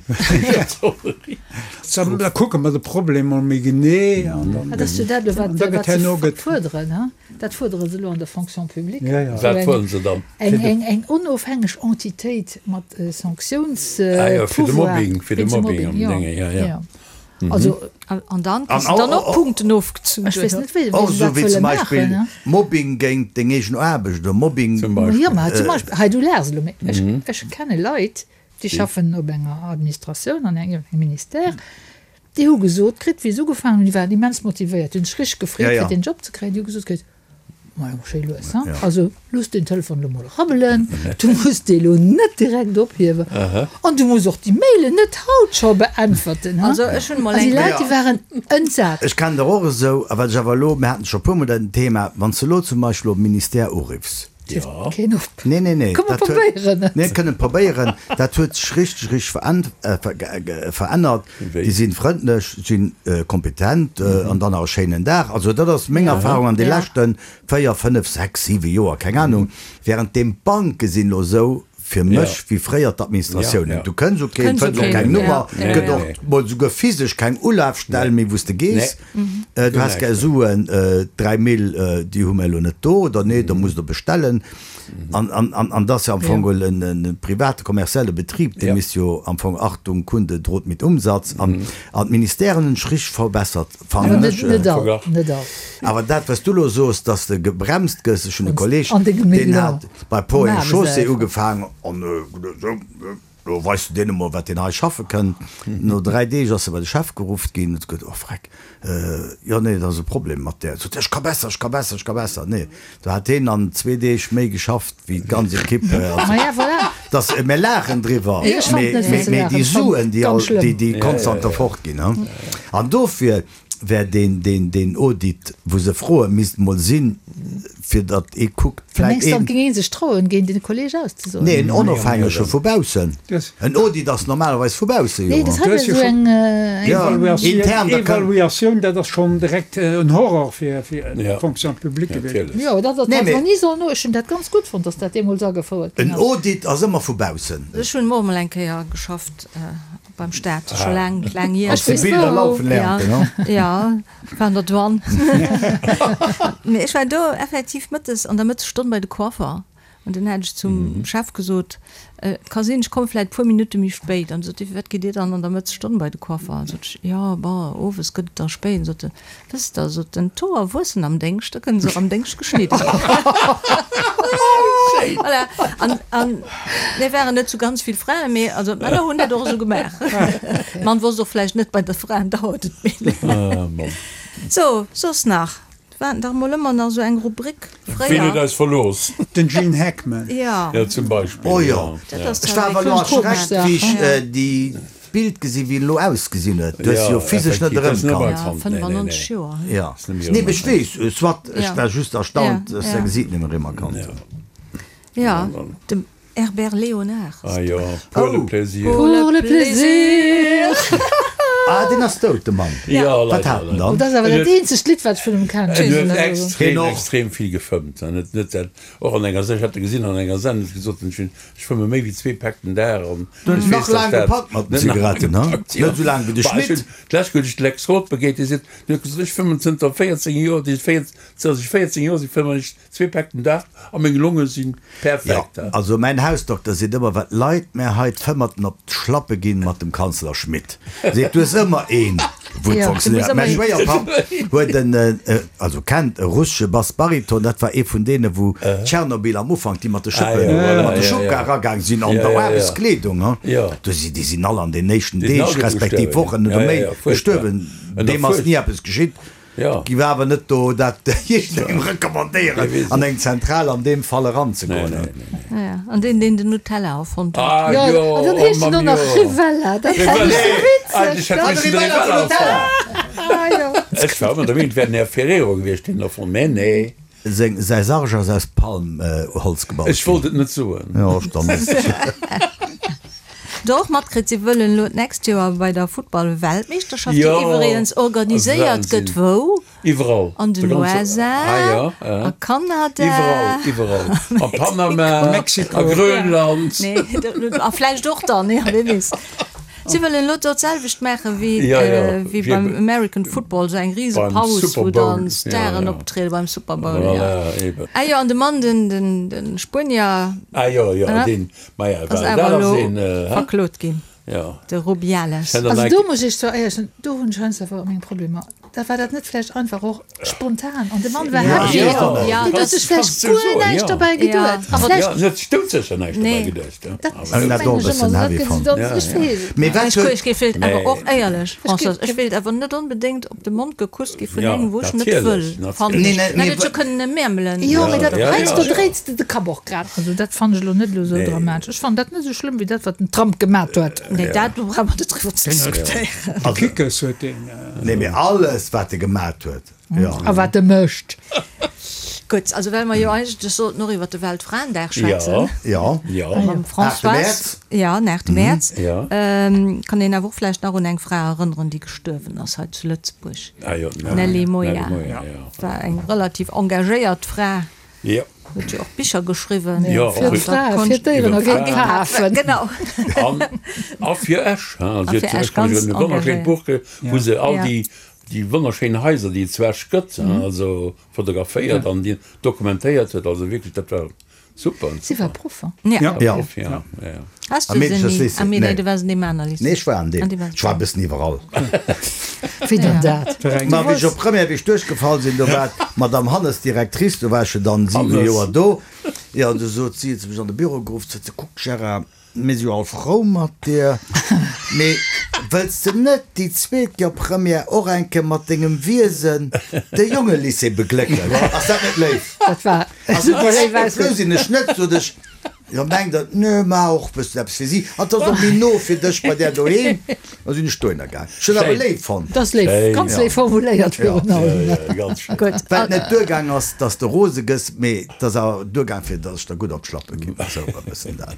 Da kucke mer de Problem mol méi genee an dann. Dat ass jo dat elo, wat da gëtt se herno gëtt. fuerderen, he? Dat fuerdere se elo an der Fonction publique. Ja, ja. Wat fuerdere se dann? Eng, eng onofhängeg Entitéit mat Sanktiounspouvoir. Ah jo, fir de Mobbing, fir de Mobbing an Dénge, ja, ja. Also, An dann kriss de dann och Punkten ofgezunn. Ech weess net, wéi Och se esou dat wéi wëlle zum Beispill maachen. Mobbing géint deng eegen Aarbecht oder Mobbing. Zum Beispill. Jo, ma zum Beispill, hei, du laachs elo, mee ech, ech kenne Leit, déi schaffen op enger Administratioun, an engem Ministère, déi hu gesot kritt, wéi se ugefaangen hunn, déi waren immens motivéiert, déi hunn sech richteg gefreet, fir deen Job ze kréien, déi hu gesot kritt, Majo, schéi lues, hein? Also, looss den Telefon elo mol rabbelen, du muss dee lo net direkt ophiewen an du muss och déi Mailen net haut scho beäntwerten, hein? Also, ech hunn mol An déi eng. Leit, déi waren entsat. Ech kennen der och esou, a wat ech awer elo, mir haten scho e puermol dat Thema, wann s de elo zum Beispill op e Ministère uriffs, Hieft keen op. Nee, nee, nee. Komm, mer Dat huet, probéieren et. mir kënnen probéieren. Dat huet sech richteg, richteg verännert. Wéi? Déi sinn frëndlech, sinn kompetent an dann nach e schéinen Dag. Also dat ass meng Erfahrung an de leschte 4, 5, 6, 7 Joer, keng Ahnung. Während deem d'Banke sinn elo esou fir mech wéi fréier d'Administratiounen. Du kënns u keen, fënns och keng Nummer, gëtt och mol souguer physesch keng Ulafstell méi wou s de gees. Du häss gär Suen, 3 Mille, déi hu mer elo net do, oder nee, da muss der bestellen. An, an, an, an dat ass jo am Fong geholl en, en private kommerzielle Betrib, dee misst jo am Fong, Achtung, Kunde droht mit Umsatz, an, an d'Ministèren hunn sech richteg verbessert, fannen Awer ech. net, net all, net all. Awer dat, wat s du elo soos, dass de gebremst gëss, ech hunn e Kolleg, An dengem deen Elan. hat bei Ponts et Am Chaussées Aarbechtseifer. ugefaangen an esou, Lo weis du deene mol, wat deen hei schaffe kënn. No 3 Deeg ass e bei de Chef geruff ginn, huet gesot, Oh freck, jo nee, dat ass e Problem mat där. Sot, Ech ka besser, ech ka besser, ech ka besser. Nee, do hat heen an zwee Deeg méi geschafft wéi d'ganz Equipe. Maja, voilà. Dass, mir laachen driwwer, Ech fand net fir ze mee laachen, déi ech fand Suen, déi ganz all, schlëmm. déi, déi konstant do fortginn, hu. An dofir wär deen, deen, deen Audit, wou se froe misst mol sinn, fir datt ee kuckt, vläit Mengs dann een. géing ee sech trauen, géint een Kolleg auszesoen? Nee, en onofhängege vu baussen. En Audit ass normalerweis vu bausse, jo. Nee, dat hei wär esou eng. Ja, intern, da kann. Evaluatioun, dat ass schonn direkt en Horror fir d'Fonction publique gewiescht. Jo, dat ass, Nee, dat mee. mer ni sollen no. Ech hunn dat ganz gutt fonnt, datt dat deemools agefouert ginn En ass. Audit ass ëmmer vu baussen. Ech hunn och mol eng Kéier geschafft. Beim Staat, scho laang, laang hier. Als de Bilder laufen lernte, ne? Ja, war an der Douane. Mee ech war do effektiv mëttes, an der Mëttesstonn bei de Coiffer. An dunn hat ech zum Chef gesot, Et ka sinn, ech komme vläit e puer Minutte méi spéit. An sot hie, Firwat gitt Dir dann an der Mëttesstonn bei de Coiffer? An sot ech, Jo, bon, owes gëtt et da spéit. An sot en, Wësst Der, sot en, d'Hoer wuessen am Déngscht, da kënne se och am Déngscht geschnidde ginn. Voilà. An, an mir waren net sou ganz vill Fraen, mee also d'Männer hunn dat och esou gemaach. D'Mann wosst och vläicht net, bei de Fraen dauert et méi laang. So, soss nach? Et war dach mol ëmmer nach esou eng Rubrik fréier. Wien huet eis verlooss? Den Gene Hackman. Ja. Ja, zum Beispill. Oh jo. Dat ass Ech war awer elo erschreckt, wéi ech déi D'Bild gesi wéi en elo ausgesinn huet, du hues se jo physesch net erëmkannt. Ja, 95 Joer. Ja, nee, ech weess, soit, ech war just erstaunt, dass säi Gesiit net méi erëmerkannt hunn. Ja, dem Herbert Léonard. Ah jo, Pour le plaisir. Pour le plaisir. Ah, deen ass dout, de Mann. Jo, Wat leider, hat en leider. dann? Dat ass awer dat eenzegt Lidd, wat ech vun him kennen. En huet extrem, Hien och. extrem vill gefëmmt. En huet net dat, och an enger, ech hat e gesinn an enger Sendung, huet gesot, ech hunn, ech fëmme méi wéi zwee Päck den Dag an Du huet ech nach weess, dass laang dat gepackt mat den net nach Zigaretten, ha? gepackt, jo. Net esou laang wéi de Bah, ech Schmit. hunn, d'lescht Kéier hunn ech de Lex Roth begéint, dee seet, deen huet gesot, ech fëmmen zënter 14 Joer, déi 14, zënter ech 14 Joer sinn, fëmmen ech Zwee Päck den Dag a meng Longe sinn perfekt. Jo, also mäin Hausdokter seet ëmmer, wat Leit mär hei d'Fëmmerten op d'Schlappe ginn mat dem Kanzler Schmidt. Seet, du hues ëmmer een, wou et funktionéiert. Mäi Schwéierpapp huet en, also kennt e russesche Bass-Bariton, dat war ee vun deene wou Tschernobyl am Ufank, déi mat de Schëppen, mat de Schubkar eragaang sinn an der Aarbechtskleedung, do si, déi sinn all an den éischten Deeg respektiv Wochen oder Méint gestuerwen. Deem ass ni eppes geschitt. Jo. Giff awer net do dat jiddwerengem recommandéieren an eng Zentral an deem Fall eranzegoen. Nee, nee, nee. Ja, an deen, deen den Nutella erfonnt huet. Ah Jo, jo, an dann oh heescht en Mamm, och nach jo. Rivella. Dat Rivella, fand ech sou nee, witzeg. eigentlech hätt Dat missen de Rivella Rivella vun Nutella. erfannen. Ah jo. Ech war ëmmer der Meenung, et wär den Här Ferrero gewiescht, deen en erfonnt, mä nee. Seng, säi Sarg ass aus Palmholz gebaut Ech ginn. wollt et net soen. Jo, ech dann net. Do och matkritt, si wëllen elo d'nächst Joer bei der Futtball-Weltmeeschterschaft, déi Jo, iwwregens organiséiert gëtt, Wahnsinn. wou? Iwwerall. An den De ganze, USA, ah ja, a Kanada, iwwerall, iwwerall. A Panama, Mexiko. a Grönland. Nee, a vläicht och dann, ja, wie weess. Si wëllen elo do d'selwecht maache wéi Ja, ja, wéi wéi beim American Football, esou eng rise beim Paus, Super wou Bowl. dann Ja, Staren ja. optriede beim Super Bowl, ja. Voilà, eben. Ah jo, an de Mann, den, den, den Spuenier, Ah jo, jo, Hä? deen, Maja, ass well awer dat ass elo een, hä? verklot ginn, Jo. de Rubiales. Ech hätt Also an do muss ech zwar éierlech soen, do hunn ech heiansdo awer meng Problemer. Da war dat net vläicht einfach och spontan an de Mann war Ja, happy. ja, ja, Deen huet dat sech vläicht kannst du guer soen, näischt ja. dobäi Ja. geduet. A Ja, vläicht, en huet sech doudsécher näischt dobäi Nee. geduecht, ja. dat Awer Ech hunn dat mengen och e ech bëssen ëmmer, dat heavy gëtt fonnt. dann, Ja, ech ja. weess et Mee net. wat Ech huet. ech géif wéilt awer Nee. och éierlech, Ech Françoise, géif ech wéilt awer net onbedéngt op de Mond gekusst gi vun Ja, engem, wou ech net wëll, natierlech, fannen Nee, ech. nee, En mee hätt et jo kënnen e Märmelen. Jo, mee dat Ja, ja, heiansdo ja. dréits de de Kapp och grad. Also dat fannen ech elo net elo esou dramatesch. Ech fannen dat net esou schlëmm wéi dat, wat den Trump gemat huet. Nee, dat do brauche mer net driwwer ze diskutéieren. De Kickes huet deen. Nee, mee alles wat e gemat huet, jo. A wat e mécht. Gutt, also well mer jo eigentlech sollten och iwwer de Weltfraendag schwätzen. Jo. Jo. Mam Aachte Françoise. Mäerz. Jo, den aachte Mäerz. Jo. Kann een awer och vläicht nach un eng Fra erënneren, déi gestuerwen ass hei zu Lëtzebuerg. Ah jo, d'Nelly Moia. Nelly Moia, jo. War eng relativ engagéiert Fra. Jo. Huet jo och Bicher geschriwwen. Jo, Fir och d'Frae, fir d'Déieren a géint d'Afen. Genau. An, a fir Esch, hein. A fir Esch, ganz E wonnerschéint engagéiert. Buch, wou se all Ja. déi, déi wonnerschéin Haiser, déi et zu Esch gëtt, hein, also fotograféiert an déi dokumentéiert huet. Also wierklech, dat war super. Si war Proff, hein? Ja. Ja. Proff, ja, ja, ja. Has Am du se Meedecherslycée? ni? Ah, mee nee, Nee. du waars an deem aner Lycée. Nee, ech war an deem. An deem waars Ech war e bëssen iwwerall. Wéi dann dat? Ma wéi ech op Première, wéi ech duerchgefall sinn, do war d'Madame Hannes Directrice, do war ech jo dann 7 Hannes. Joer do. Jo, an du sot si, huet se mech an de Büro geruff, sot se, Kuck Gérard, mir si jo all frou mat dir, mee wëlls de net déi zweet Joer Première och eng Kéier mat dengem Wiesen de Jongelycée beglécken? Ass dat net léif? Dat war Also, super léif frou ausgedréckt. sinn ech net, sot ech. Jo, mengt der, nö, maach och bëssen eppes fir si, an 't ass och méi no fir dech bei där doheem. Da sinn ech dohinner gaang. Ech hunn awer léif fonnt. Dat ass léif, ganz léif formuléiert virun allem. Gutt. Wat net duergaang ass, dass de rose gëss, mee 't ass awer duergaang fir dass ech der gutt op d'Schlappe ginn. Esou e bëssen dat.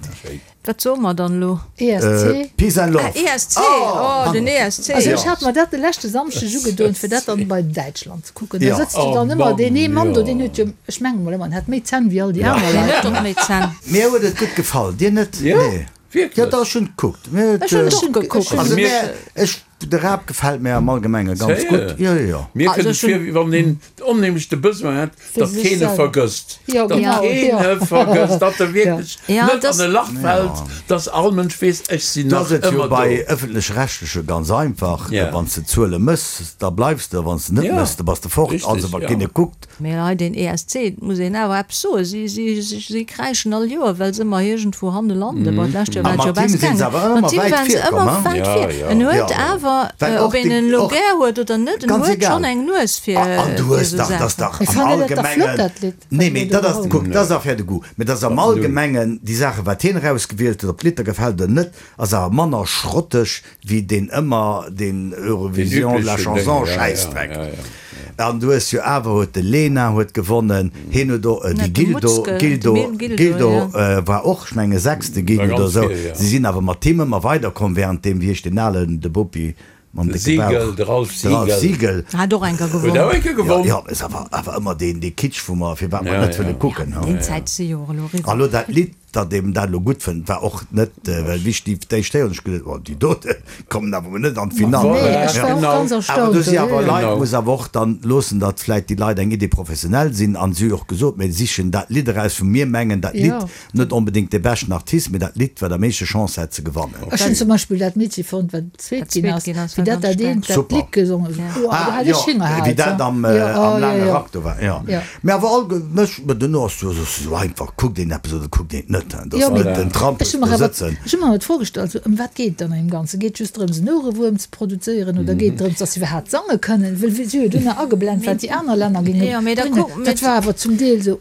Wat soe mer dann elo? ESC. Peace and love. Ah, ESC, oh, den ESC. Also ech hat mer dat de leschte Samschdeg ugedoen, fir dat dann bei Däitschland ze kucken. Da sëtzt jo dann ëmmer deen ee Mann do, deen huet jo, ech mengen mol ëmmer, en hätt méi Zänn wéi all déi aner Deen Leit. huet och méi Zänn. Mir huet et gutt gefall, dir net? Jo, Nee. wierklech. Jo, dach, ech hunn gekuckt. Mir huet, Ech hunn et och gekuckt. Also mir, ech, de Raab gefält mir am Allgemenge ganz gutt. Jo, jo, jo. Mir Also kënnt et ech hunn. vir, wéi wann een onheemlech de Besoin hätt, Fir datt sech keen e selwer. vergësst. Jo, Datt genau, keen jo. e vergësst, datt e wierklech Ja, net dass. an e Lach fält, datt all Mënsch weess, ech sinn Do nach ass et jo ëmmer bei do. ëffentlech-rechtleche ganz einfach, Ja. wann s de Zuele mëss, da bleifs de, wann s de net Ja, mëss, da bass de fort. richtig, Also wa ja. keen e kuckt. Mee hei den ESC, et muss een awer eppes soen, si, si, si kräischen all Joer, well se ëmmer iergendwou hanne landen. Bon, d'lescht Joer A war et jo mat him best sinn se gaangen. awer ëmmer Mat him wäit waren se virkomm, ëmmer hein? wäit Ja, vir. ja. En huet Ja. awer, Well ob och een déi, en elo och gär huet oder net, en ganz huet egal. schonn eng Nues fir, An du fir hues esou dach, dat ass Saachen. dach Ech am fannen dat dach flott, Allgemengen, dat Lidd, wat nee, en mee do dat ass, geholl kuck, huet. dat ass Affaire de goût, mee dat ass am Allgemengen déi Saachen, wat hien erausgewielt huet, ob d'Lidd der gefält oder net, ass awer manner schrotteg wéi deen ëmmer deen Deen Eurovision de la üblechen Ding, Chanson ja, ja, Schäissdreck. ja, ja. An du hues jo awer huet de Lena huet gewonnen, hien huet och, de Net de Gildo, Mutzke, de Gildo, Mil Gildo, Gildo ja. war och, ech menge Sechste ginn War oder ganz esou. vir, ja. Si sinn awer mat him ëmmer weiderkomm, während deem, wéi heescht deen alen, de Bopi? Mam décke Bauch. Siegel, de Ralph De Ralph Siegel. Siegel. Hat och eng Kéier Huet gewonn. och eng Kéier gewonn. Jo, jo, ass awer, awer ëmmer deen, dee Kitsch, wou mer, firwat mer net wëlle kucken. Déi Zäit si jo och elo An eriwwer. elo dat Lidd, datt een dat elo gutt fënnt, war och net, well wéi ech déi d'éischt héieren, hunn ech geduet, oh, déi dote kommen awer mol net an d'Finall. Nee, Voilà, ech war och genau. ganz Awer erstaunt. do si awer Genau. Leit, muss awer och dann loossen, datt vläicht déi Leit eng Idée professionnelle sinn an si hu jo och gesot, mir sichen dat Lidd eraus, wou mir mengen, dat Lidd Jo. Net onbedéngt de beschten Artist, mee dat Lidd, wat am meeschte Chance hätt ze gewannen. Ech hunn zum Beispill dat Meedche fonnt, wat zweet ginn ass, wéi dat dat eent dat Lidd gesongen huet. Oh, do hat ech hingehaalt. Wéi dat am laange Rack do war, jo. Mee awer all, mech, mä duerno ass jo esou einfach, kuckt een eppes oder kuckt een et net. Dat ass net den Trampes do sëtzen. Ech hu mer awer d'Fro gestallt, ëm wat geet et dann am Ganzen? Geet et just drëms en Ouerewuerm ze produzéieren oder geet et drëms, datt se iwwerhaapt sange kënnen? Well si hu jo dunn nach ageblent, wat déi aner Länner géinge bréngen. Dat war awer zum Deel esou.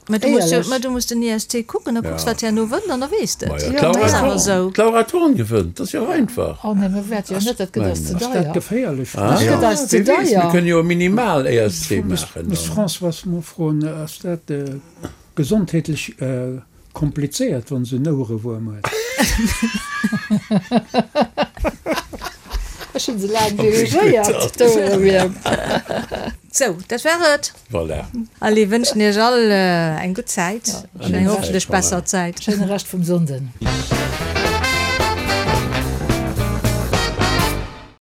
Mä du muss jo, mä du muss den ESC kucken, da kucks wat herno wënnt an da weess de et. Maja, d'Laura Thorn, d'Laura Thorn gewënnt, dat ass jo och einfach. Oh nee, mir wäerte jo net, dat gëtt eis ze Ass dat deier. geféierlech? Dat gëtt eis ze Wie weess, mir deier. kënnen jo e Minimal-ESC maachen Muss dann. d'Françoise mol froen, ass dat gesondheetlech komplizéiert, wann se en Ouerewuerm huet? Ech hunn se laang dirigéiert, d'Ouerewierm. Sou, dat war et. Voilà. Allez, wënschen iech all eng gutt Zäit an eng hoffentlech besser Zäit. Schéine Rescht vum Sonnden.